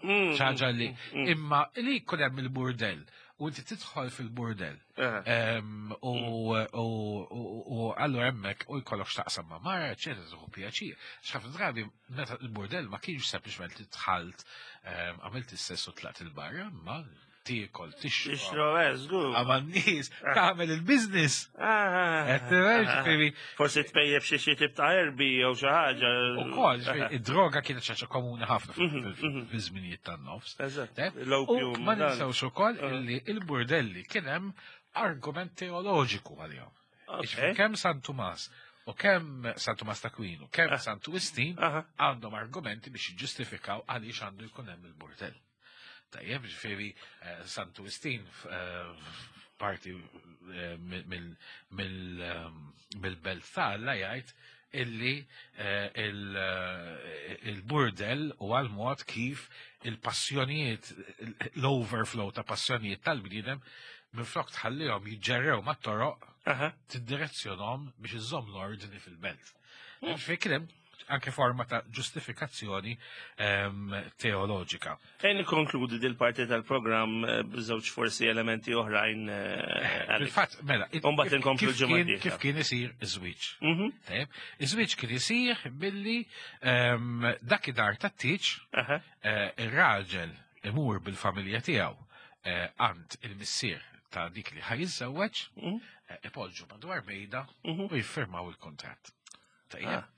Xi ħaġa li imma li jkun hemm il-burdell u inti tidħol fil-burdell. U allura hemmhekk u jkollok x'taqsam ma' mara, eċetera, tieħu pjaċir. X'ħafna drabi meta il-burdell ma kienx sempliċement li dħalt għamilt is-sess u tlaqt il-barra, imma tiekol, tixrob. Tixrob, żgur. Għama n-nies, tagħmel il-business. Forsi tpejjeb xi xi tip ta' erbi jew xi ħaġa. Ukoll, id-droga kienet xi ħaġa komuni ħafna fiż-żminijiet tan-nofs. Eżatt. U ma ninsewx ukoll illi il-burdelli kien hemm argument teoloġiku għalihom. Kemm San Tumas u kemm San Tumas ta' Aquino, kemm Santu Wistin għandhom argumenti biex jiġġustifikaw għaliex għandu jkun hemm il-burdell. Tajjeb, ġifieri Santu Wistin parti mill-belt ta' Alla jgħid illi il-burdell u għal-mod kif il-passjonijiet, l-overflow ta' passjonijiet tal-bniedem minflok tħallihom jiġġerrew mat-toroq, tiddirezzjonhom biex iżżomm l-ordni fil-belt. Ġifieri kien hemm anke forma ta' ġustifikazzjoni teoloġika. Ejn nikkonkludi dil-parti tal-programm b'żewġ forsi elementi oħrajn. Fil-fatt, mela, Mbagħad inkomplu ġimgħa kif kien isir iż-żwieġ. Tajjeb, iż-żwieġ kien isir billi dak id-dar tat-tieġ ir-raġel imur bil-familja tiegħu għand il-missier ta' dik li ħa jiżżewweġ, ipoġġu madwar mejda u jiffirmaw il-kuntratt. Tajjeb.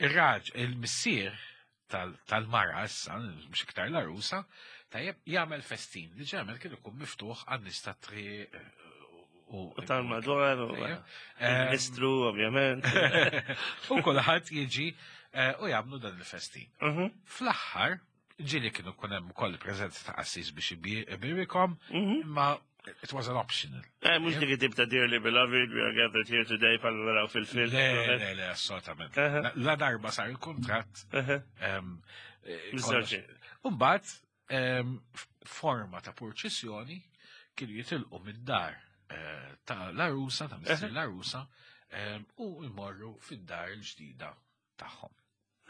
Ir-raġ, il-missier tal-mara issa, mhux iktar l-arusa, tajjeb, jagħmel festin li ġemel kien ikun miftuħ għan-nies tat-triq u tal-madwar u ministru ovvjament. U kulħadd jiġi u jagħmlu dan il-festin. Fl-aħħar, ġieli kienu kun hemm ukoll preżenza ta' qassis biex ibirikom, imma it was an optional. Mhux dik it-tip ta' dearly beloved, we are gathered here today bħal naraw fil-film. Le, le, le, assolutament. La darba sar il-kuntratt. Miżżewġin. Umbagħad, forma ta' purċissjoni kienu jitilqu mid-dar ta' l-arusa, ta' missier l-arusa, u jmorru fid-dar il-ġdida tagħhom.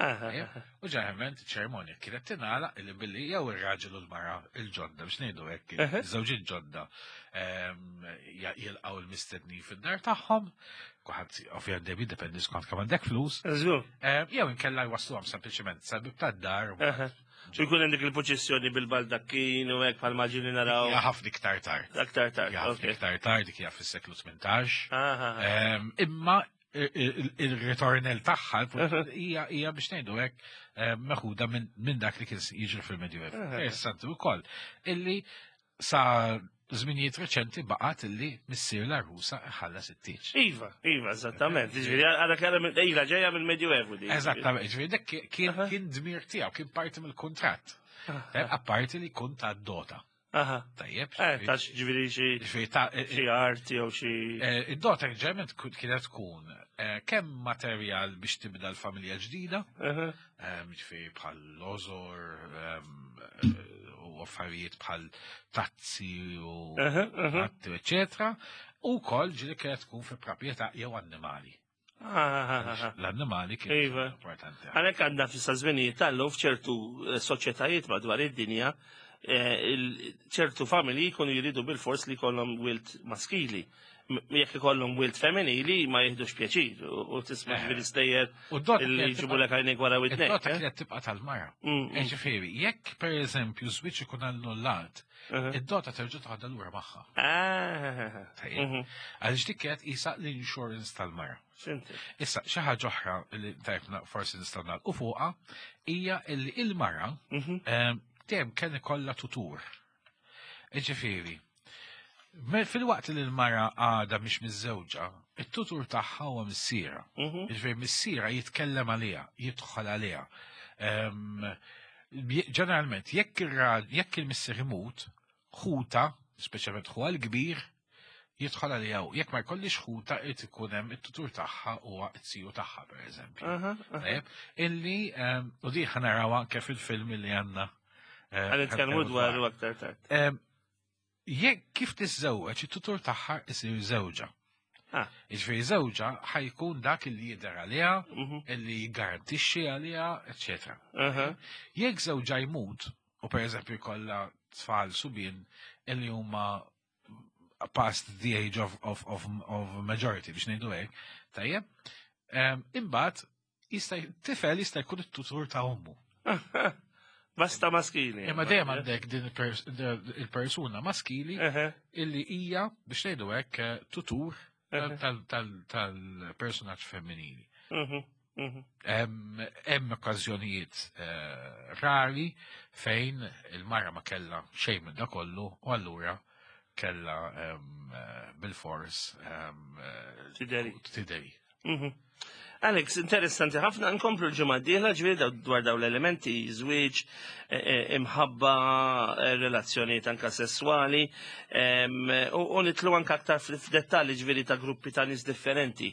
U ġeneralment ċerimonja kienet tingħalaq illi billi jew ir-raġel u l-mara il-ġodda biex ngħidu hekk, iż-żewġin ġodda jilqgħu l-mistednin fid-dar tagħhom, kulħadd ovvjament dejjem jiddependi skont kemm għandek flus. Jew inkella jwasluhom sempliċement sal-bib tad-dar. U jkun hemm dik il-poċissjoni bil-baldakkin u hekk bħal maġini naraw. Hija ħafna iktar tard. Aktar tard. Hija ħafna iktar tard, dik hija fis-seklu 18. Imma il-ritornell tagħha hija biex ngħidu hekk meħuda minn dak li kien jiġri fil-Medjuevu. Interessanti wkoll illi sa żminijiet reċenti baqgħet illi missier l-arusa ħallas it-tieġ. Iva, iva, eżattament. Jiġifieri għadha kera minn ila ġejja mill-Medjuevu di. Eżattament, jiġifieri dak kien dmir tiegħu, kien parti mill-kuntratt. Apparti li kun ta' dota. Aha. Tajjeb. Eh, ta' ġifieri xi xi art jew xi. Eh, id-dota ġeneralment kienet tkun eh, kemm materjal biex tibda l-familja ġdida, ġifieri bħal lożor u affarijiet bħal tazzi u eċetera, u wkoll ġieli kienet tkun fi proprjetà jew annimali. L-annimali kien iva. importanti. Għalhekk għandna fissa żminijiet tal-lum f'ċertu eh, soċjetajiet madwar id-dinja eh, ċertu familji jkunu jridu bil-fors li jkollhom wilt maskili. Jekk ikollhom wilt femminili ma jihdux pjaċir u tisma' eh. ġifieri stejjer li jġibu lek għajnek wara widnek. Id-dota kienet tibqa' tal-mara. Mm, mm. Ġifieri, jekk pereżempju żwieġ ikun annullat, Id-dota terġa' toħodha lura magħha. Ah. Mhm. Għaliex dik kienet qisha l-insurance tal-mara. Issa, xi ħaġa oħra li tajbna forsi nistgħu nagħlqu fuqha hija li il-mara mhm. ehm, dejjem kien ikollha tutur. Ġifieri, fil-waqt li l-mara għadha mhix miżżewġa, it-tutur tagħha huwa missiera. Mhm. Ġifieri missiera jitkellem għaliha, jidħol għaliha. Ehm, Ġeneralment, jekk jekk il-missier imut, ħuta, speċjalment ħuha l-kbir, jidħol għaliha u jekk ma jkollix ħuta irid ikun hemm it-tutur tagħha huwa t-siju tagħha pereżempju. Illi ehm, u di ħanaraw anke fil-film li għandna. Eh, Għan nitkellmu dwaru aktar tard. Ehm, Jekk kif tiżżewweġ it-tutur tagħha isir żewġha. Ah. Jiġifieri żewġha ħajkun dak li jidher għaliha, mhm. illi jgarantixxi għaliha, eċetera. Jekk żewġha jmut, u pereżempju jkollha tfal subien illi huma past the age of, of, of, of majority biex ngħidu hekk, tajjeb, imbagħad jista' tifel jista' jkun it-tutur ta' ommu. Basta maskili. Imma dejjem għandek din il-persuna maskili illi hija biex ngħidu hekk eh, tutur tal-personaġġ femminili. Mhm, mhm. Hemm okkażjonijiet eh, rari fejn il-mara ma kellha xejn minn da kollu u allura kella eh, bil-fors tideri. Tideri. Mhm. Alex, interessanti ħafna, nkomplu l-ġimgħa d-dieħla ġifieri dwar dawn l-elementi, żwieġ, e, e, imħabba, e, relazzjonijiet anka sesswali, u nitlu anka aktar f'dettalji ġifieri ta' gruppi ta' nies differenti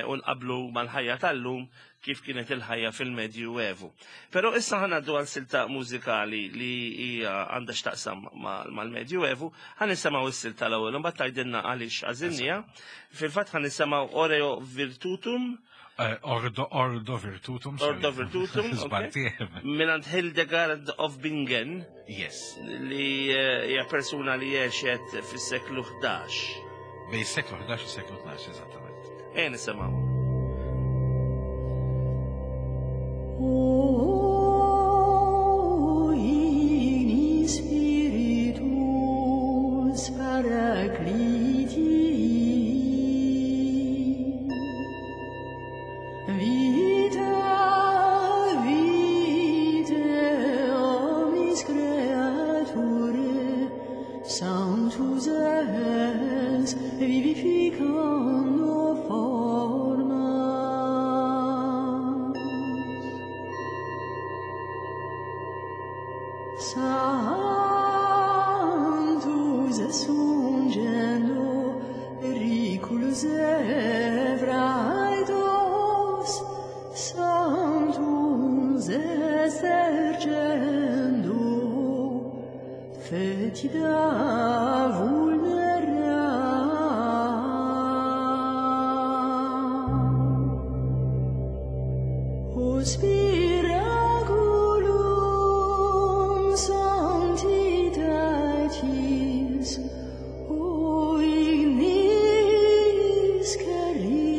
u nqablu mal-ħajja tal-lum kif kienet il-ħajja fil-Medju Evu. Però issa ħanaddu għal silta mużikali li hija għandha x'taqsam mal-Medju Evu, ħa nisimgħu s-silta l-ewwel u mbagħad tgħidilna għaliex għażilniha. Fil-fatt ħa nisimgħu Oreo Virtutum. Eh, Ordo, Ordo Virtutum. Ordo Virtutum. Minant Hildegard of Bingen. Yes. Li eh, hija persuna li għexet fis-seklu 11. Bej seklu 11 u seklu 12, eżattament. Ejja nisimgħu. O in spiritus paracliti Vita vitae omnis creature sanctus es vivificando formas. Sanctus es ungendo periculus evraedos, Sanctus es ergendo fetida vulnera. O spiraculum sanctitatis, o ignis caritatis,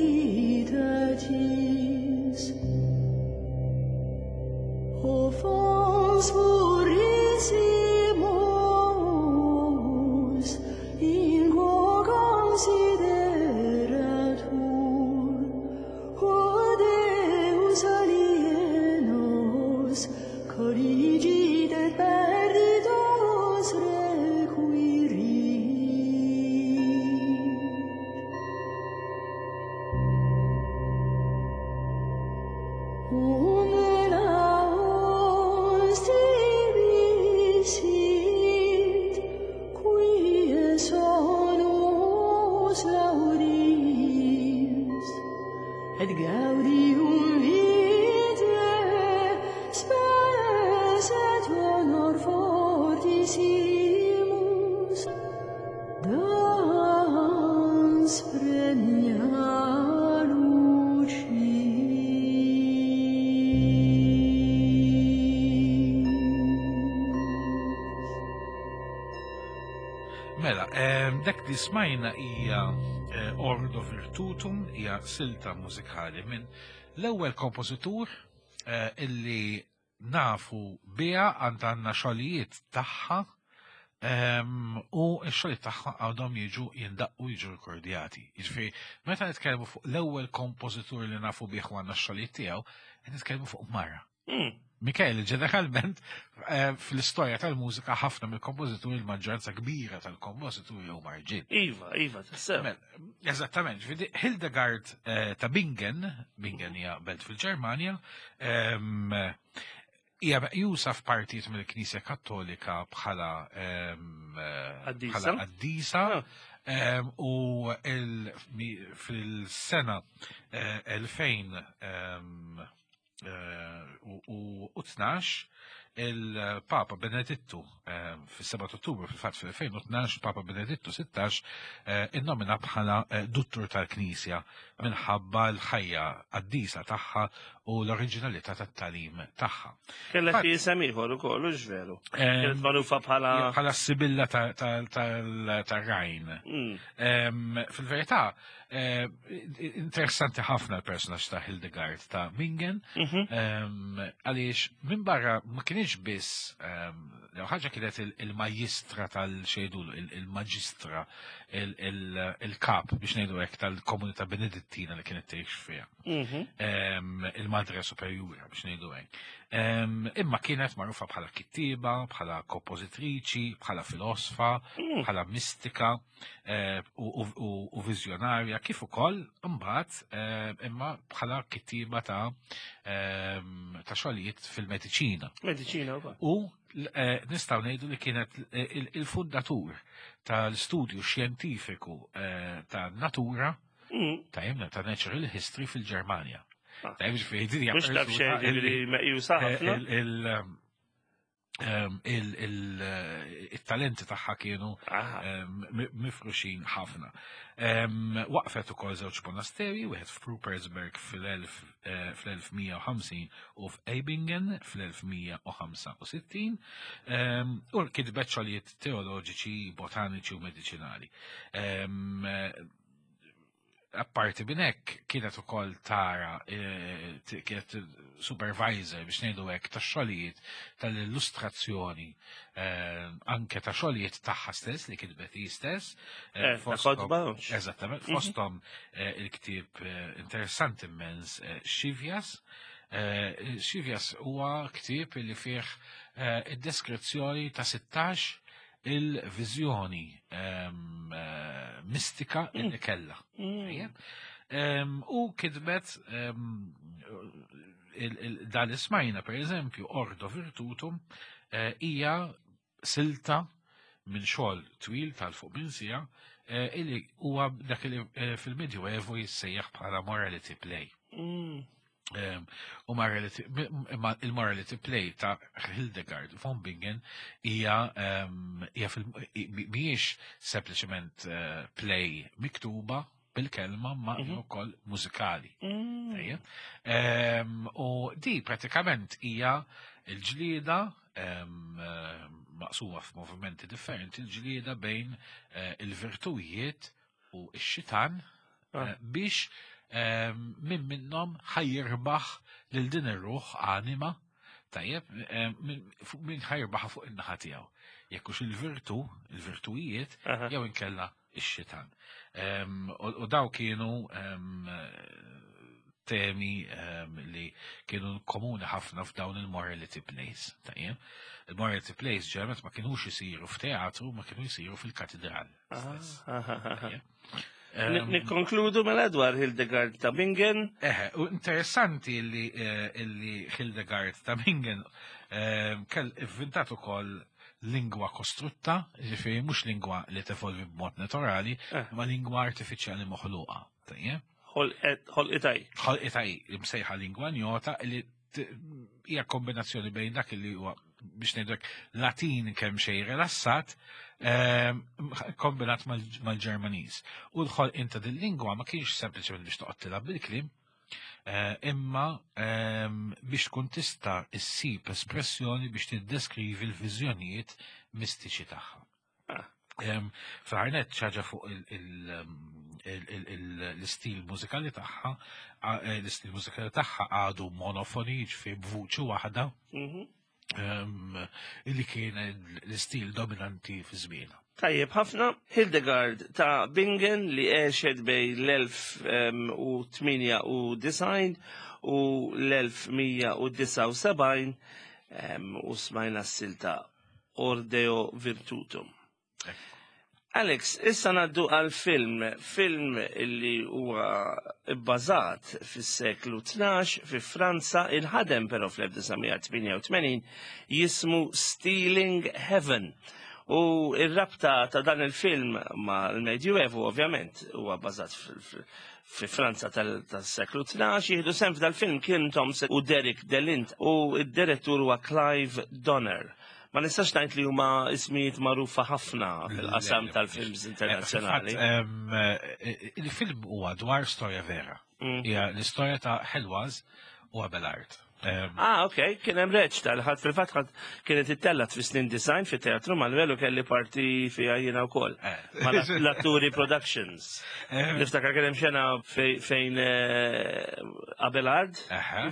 o fons purissimus, in quo consideratur, o Deus alienos, corrigit et perditos requirit. Unde la hostia Mela, dak li smajna hija eh, Ordo Virtutum, hija silta mużikali minn l-ewwel kompożitur eh, illi nafu biha għand għandna xogħlijiet tagħha u x-xogħlijiet tagħha għadhom jiġu jindaqqu jiġu rikordjati. Jiġifieri, meta nitkellmu fuq l-ewwel kompożitur li nafu bih u għandna x-xogħlijiet tiegħu, qed nitkellmu fuq mara. Mikael, ġeneralment, eh, fl-istorja tal-mużika ħafna mill-kompożituri, il-maġġoranza kbira tal-kompożituri huma rġiel. Iva, iva, tassew. Mela, eżattament, ġifieri Hildegard eh, ta' Bingen, Bingen hija belt fil-Ġermanja, ehm, hija meqjusa f'partijiet mill-Knisja Kattolika bħala ehm, eh, Qaddisa. bħala qaddisa. Ah. Ehm, u fil-sena 2000 u 12 il-Papa Benedittu fis-7 Ottubru fil-fatt fil-2012 Papa Benedittu 16 innomina bħala duttur tal-Knisja minħabba l-ħajja qaddisa tagħha u l-oriġinalità tat-tagħlim tagħha. Kellha xi isem ieħor ukoll, hux veru? Kienet magħrufa bħala bħala Sibilla tar-Rajn. Fil-verità, Eh, interessanti ħafna l-personaġġ ta' Hildegard ta' Bingen, mhm. għaliex minn barra ma kienx biss l ħaġa kienet il-majistra tal-xejdu, il-maġistra, il-kap biex ngħidu hekk tal-komunità benedittina li kienet tgħix fiha. Mhm. Il-madre superjura biex ngħidu hekk. Imma kienet magħrufa bħala kittiba, bħala kompożitriċi, bħala filosfa, mm. bħala mistika. Eh, u viżjonarja kif ukoll imbagħad eh, imma bħala kittieba ta' ehm, ta' xogħlijiet fil-mediċina. Mediċina wkoll. U eh, nistgħu ngħidu li kienet il-fundatur tal-studju xjentifiku ta' natura mm. ta' jemna ta' natural history fil-Ġermanja. Ah. Ta' ġifieri Mhux taf xejn li meqjusa ħafna. Ehm, il-talenti tagħha kienu ehm, mifruxin ħafna. Ehm, waqfet ukoll żewġ monasteri, wieħed f'Rupersberg fl-1150 eh, u f'Eibingen fl-1165, u kitbet xogħlijiet teoloġiċi, botaniċi u mediċinali. Apparti minn hekk kienet ukoll tara eh, kienet supervisor biex ngħidu hekk ta' xogħlijiet tal-illustrazzjoni eh, anke ta' xogħlijiet tagħha stess li kitbet hi stess. Eh, eżattament, mhm. fosthom il-ktieb interessanti immens Xivias. Xivias huwa ktieb li fih id-deskrizzjoni ta' 16 il-viżjoni ehm, eh, mistika mm. illi kella. Mm. Ehm, u kitbet ehm, dan ismajna per eżempju Ordo Virtutum eh, hija silta minn xogħol twil tal-fuq minn sija eh, illi huwa dak li fil-Medjuevo jissejjaħ bħala morality play. Mm. U il-morality play ta' Hildegard von Bingen hija mhijiex sempliċement eh, play miktuba bil-kelma ma mhm. ukoll mużikali. Mm. U di pratikament hija l-ġlieda eh, maqsuma f'movimenti differenti, l-ġlieda bejn eh, il-virtujiet u x-xitan ah. eh, biex ehm, minn minnhom ħajjirbaħ lil din ir-ruħ anima tajjeb ehm, minn ħajrbaħ fuq in-naħa tiegħu. Jekk hux il-virtu, il-virtujiet, jew inkella x-xitan. Ehm, u daw kienu temi li kienu komuni ħafna f'dawn il-morality plays. Tajjeb? Il-morality plays ġeneralment ma kienux isiru f'teatru, ma kienu jisiru fil-katedral. Nikkonkludu mela dwar Hildegard ta' Bingen. Eħe, u interessanti li eh, Hildegard ta' Bingen eh, kell ivvintat ukoll lingwa kostrutta, ġifieri mhux lingwa li tevolvi b'mod naturali, eh. ma lingwa artifiċjali moħluqa. Tajjeb? Ħolqitaj. Ħolqitaj, imsejħa lingwa njota li hija kombinazzjoni bejn dak li huwa biex ngħidlek Latin kemm xejn rilassat ehm, kombinat mal-Ġermaniż. U l-ħolqien ta' din lingwa ma kienx sempliċement biex toqgħod tilgħab bil-kliem, eh, imma ehm, biex tkun tista' issib espressjoni biex tiddeskrivi l-viżjonijiet mistiċi tagħha. Ah. Fl-aħħar nett xi ħaġa fuq l-istil mużikali tagħha, l-istil mużikali tagħha għadu monofoni, jiġifieri b'vuċi waħda, illi kien l-istil dominanti fi żmienha. Tajjeb ħafna, Hildegard ta' Bingen li għexet bejn l-1098 u l-1179 u smajna s-silta Ordeo Virtutum. Alex, issa ngħaddu għal film, film li huwa bbażat fis-seklu 12 fi Franza, inħadem però fl-1988 jismu Stealing Heaven. U ir-rabta ta' dan il-film ma' l-Medjuevu ovvjament huwa bbażat fi Franza tas-seklu 12, jieħdu sehem f'dal-film Kim Thompson u Derek DeLint u id-direttur huwa Clive Donner. Ma nistax ngħid li huma ismijiet magħrufa ħafna fil-qasam tal-films internazzjonali. Il-film huwa dwar storja vera. Hija l-istorja ta' Heloise u Abelard. Ah, ok, kien hemm reċta li ħadd fil-fatt ħadd kienet ittellat fi snin design fit teatru Manuel u kelli parti fiha jiena wkoll. Ma l-Atturi Productions. Niftakar kien hemm xena fejn Abelard,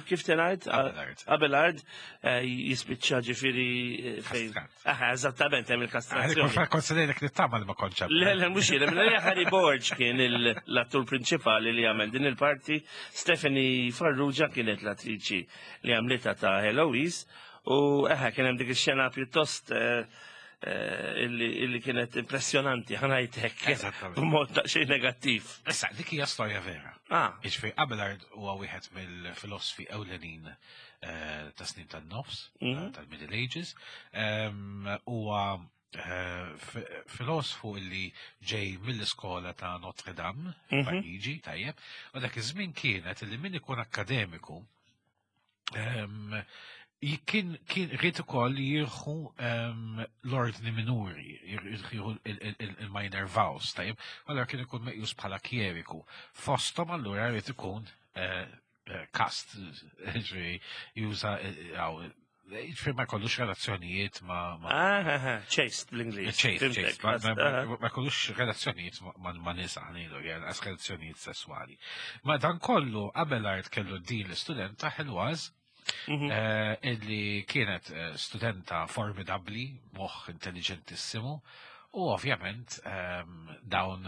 kif tingħid? Abelard. Abelard jispiċċa ġifieri fejn. Aha, eżattament hemm il-kastrazzjoni. Kont se ngħidlek li tagħmel ma kontx. Le, le, mhux jien, minn Harry Borg kien l-attur prinċipali li għamel din il-parti, Stephanie Farrugia kienet l-attriċi li għamlitha ta' Heloise, u eħe kien hemm dik ix-xena pjuttost illi kienet impressjonanti, ħa ngħidlek, b'mod daqsxejn negattiv. Issa, dik hija storja vera. Jiġifieri Abelard huwa wieħed mill-filosfi ewlenin ta' snin tan-nofs, tal-Middle Ages, huwa filosfu illi ġej mill-iskola ta' Notre Dame, Pariġi, tajjeb, u dak iż-żmien kienet illi min ikun akkademiku kien ried ukoll jieħu l-ordni minuri, jieħu il-minor vows, tajjeb, allura kien ikun meqjus bħala kjeriku. Fosthom allura ried ikun kast, ġifieri juża ġifieri ma jkollux relazzjonijiet ma' Chaste bl-Ingliż. Chaste, chaste. Ma jkollux relazzjonijiet ma' nisa, ħa ngħidu, għas relazzjonijiet sessuali. Ma dan kollu Abelard kellu din l-istudenta Heloise, illi kienet studenta formidabli, moħħ intelligentissimu, u ovvjament dawn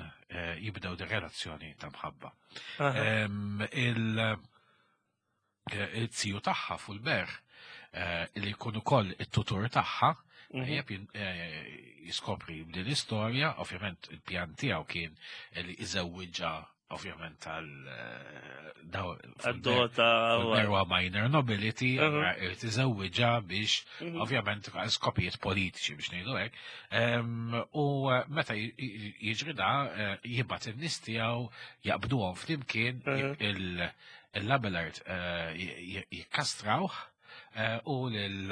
jibdew di relazzjoni ta' mħabba. Il-ziju tagħha Fulbert, li jkun ukoll it-tutur tagħha, jeb jiskopri din l-istorja, ovvjament il-pjan tiegħu kien li iżewwiġha ovvjament tal Għad-dota huwa minor nobility, irid iżewwiġha biex ovvjament għal skopijiet politiċi biex ngħidu hekk. U meta jiġri da jibgħat in-nies tiegħu jaqbduhom flimkien il-Abelard jikkastrawh u lil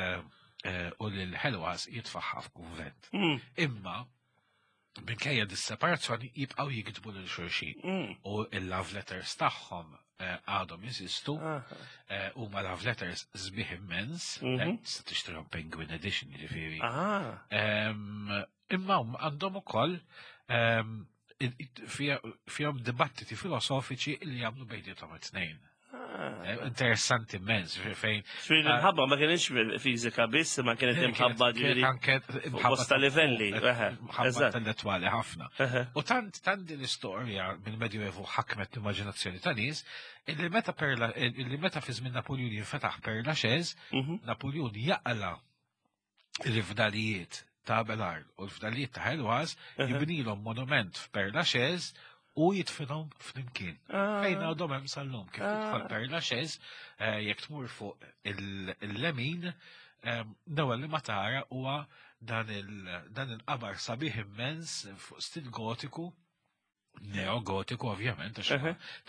Heloise jitfaħħa f'kunvent. Imma minkejja dis-separazzjoni jibqgħu jiktbu lil xulxin. U il-love letters tagħhom għadhom jeżistu, huma love letters sbieħ immens, tista' tixtrihom Penguin Edition jiġifieri. Imma għandhom ukoll fihom dibattiti filosofiċi li jagħmlu bejniethom it-tnejn. Interessanti immens, fejn. Fejn l-imħabba ma kienx fiżika biss, ma kienet imħabba ġifieri. Anke imħabba bosta livelli, imħabba intellettwali ħafna. U tant tant din l-istorja mill-Medjuevu ħakmet l-immaġinazzjoni ta' nies, illi meta Perla, illi meta fi żmien Napoleon jinfetaħ Père Lachaise, Napoleon jaqla il-fdalijiet ta' Abelard u l-fdalijiet ta' Heloise, jibnilhom monument f'Père Lachaise u jidfinhom flimkien. Fejn għadhom hemm sal-lum, kif tidħol Père Lachaise, jekk tmur fuq il-lemin, l-ewwel li ma tara huwa dan il-qabar sabiħ immens fuq stil gotiku, neogotiku ovvjament, għax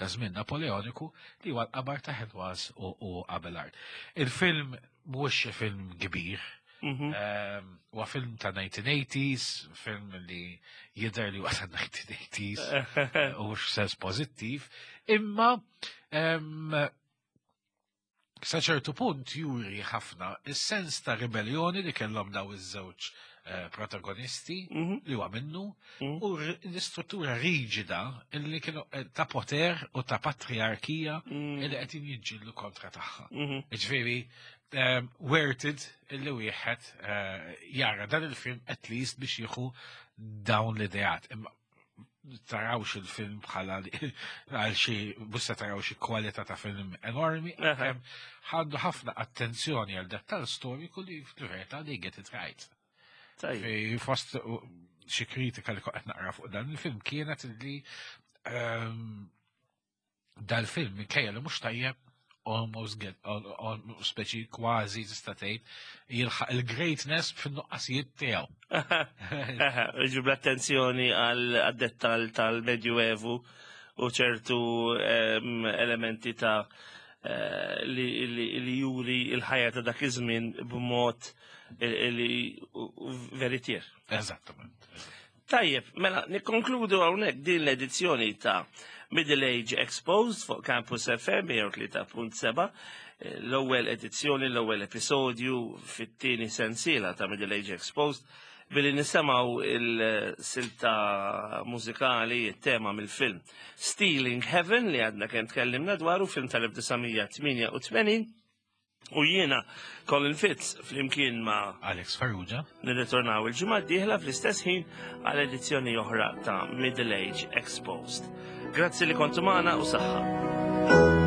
ta' żmien Napoleoniku, li huwa l-qabar ta' Heloise u Abelard. Il-film mhuwiex xi film kbir, huwa film ta' 1980s, film li jidher li huwa ta' 1980s, u mhux sens pożittiv, imma sa ċertu punt juri ħafna is-sens ta' ribellioni li kellhom daw iż-żewġ protagonisti li huwa minnu u l-istruttura riġida li kienu ta' poter u ta' patriarkija li qed jiġġieldu kontra tagħha. Ġifieri worth it illi wieħed jara dan il-film at least biex jieħu dawn l-ideat. Imma tarawx il-film bħala għal xi busta taraw xi kwalità ta' film enormi, għandu ħafna attenzjoni għal dettal storiku li fil-verità li get it right. Fi fost xi kritika li qed naqra fuq dan il-film kienet li dal-film minkejja li mhux tajjeb almost get speċi kważi tista' tgħid jilħaq il-greatness fin-nuqqasijiet tiegħu. Iġib l-attenzjoni għal dettal tal-Medjuevu u ċertu elementi ta' li juri il-ħajja ta' dak iż-żmien b'mod li veritier. Eżattament. Tajjeb, mela, nikkonkludu hawnhekk din l-edizzjoni ta' Middle Age Exposed fuq Campus FM 103.7, l-ewwel edizzjoni, l-ewwel episodju fit-tieni sensiela ta' Middle Age Exposed, billi nisimgħu il-silta mużikali, il-tema mill-film Stealing Heaven li għadna kemm tkellimna dwaru, film tal-1988, u jiena Colin Fitz flimkien ma' Alex Farrugia. Nirritornaw il-ġimgħa d-dieħla fl-istess ħin għal edizzjoni oħra ta' Middle Age Exposed. Grazzi li kontu magħna u saħħa.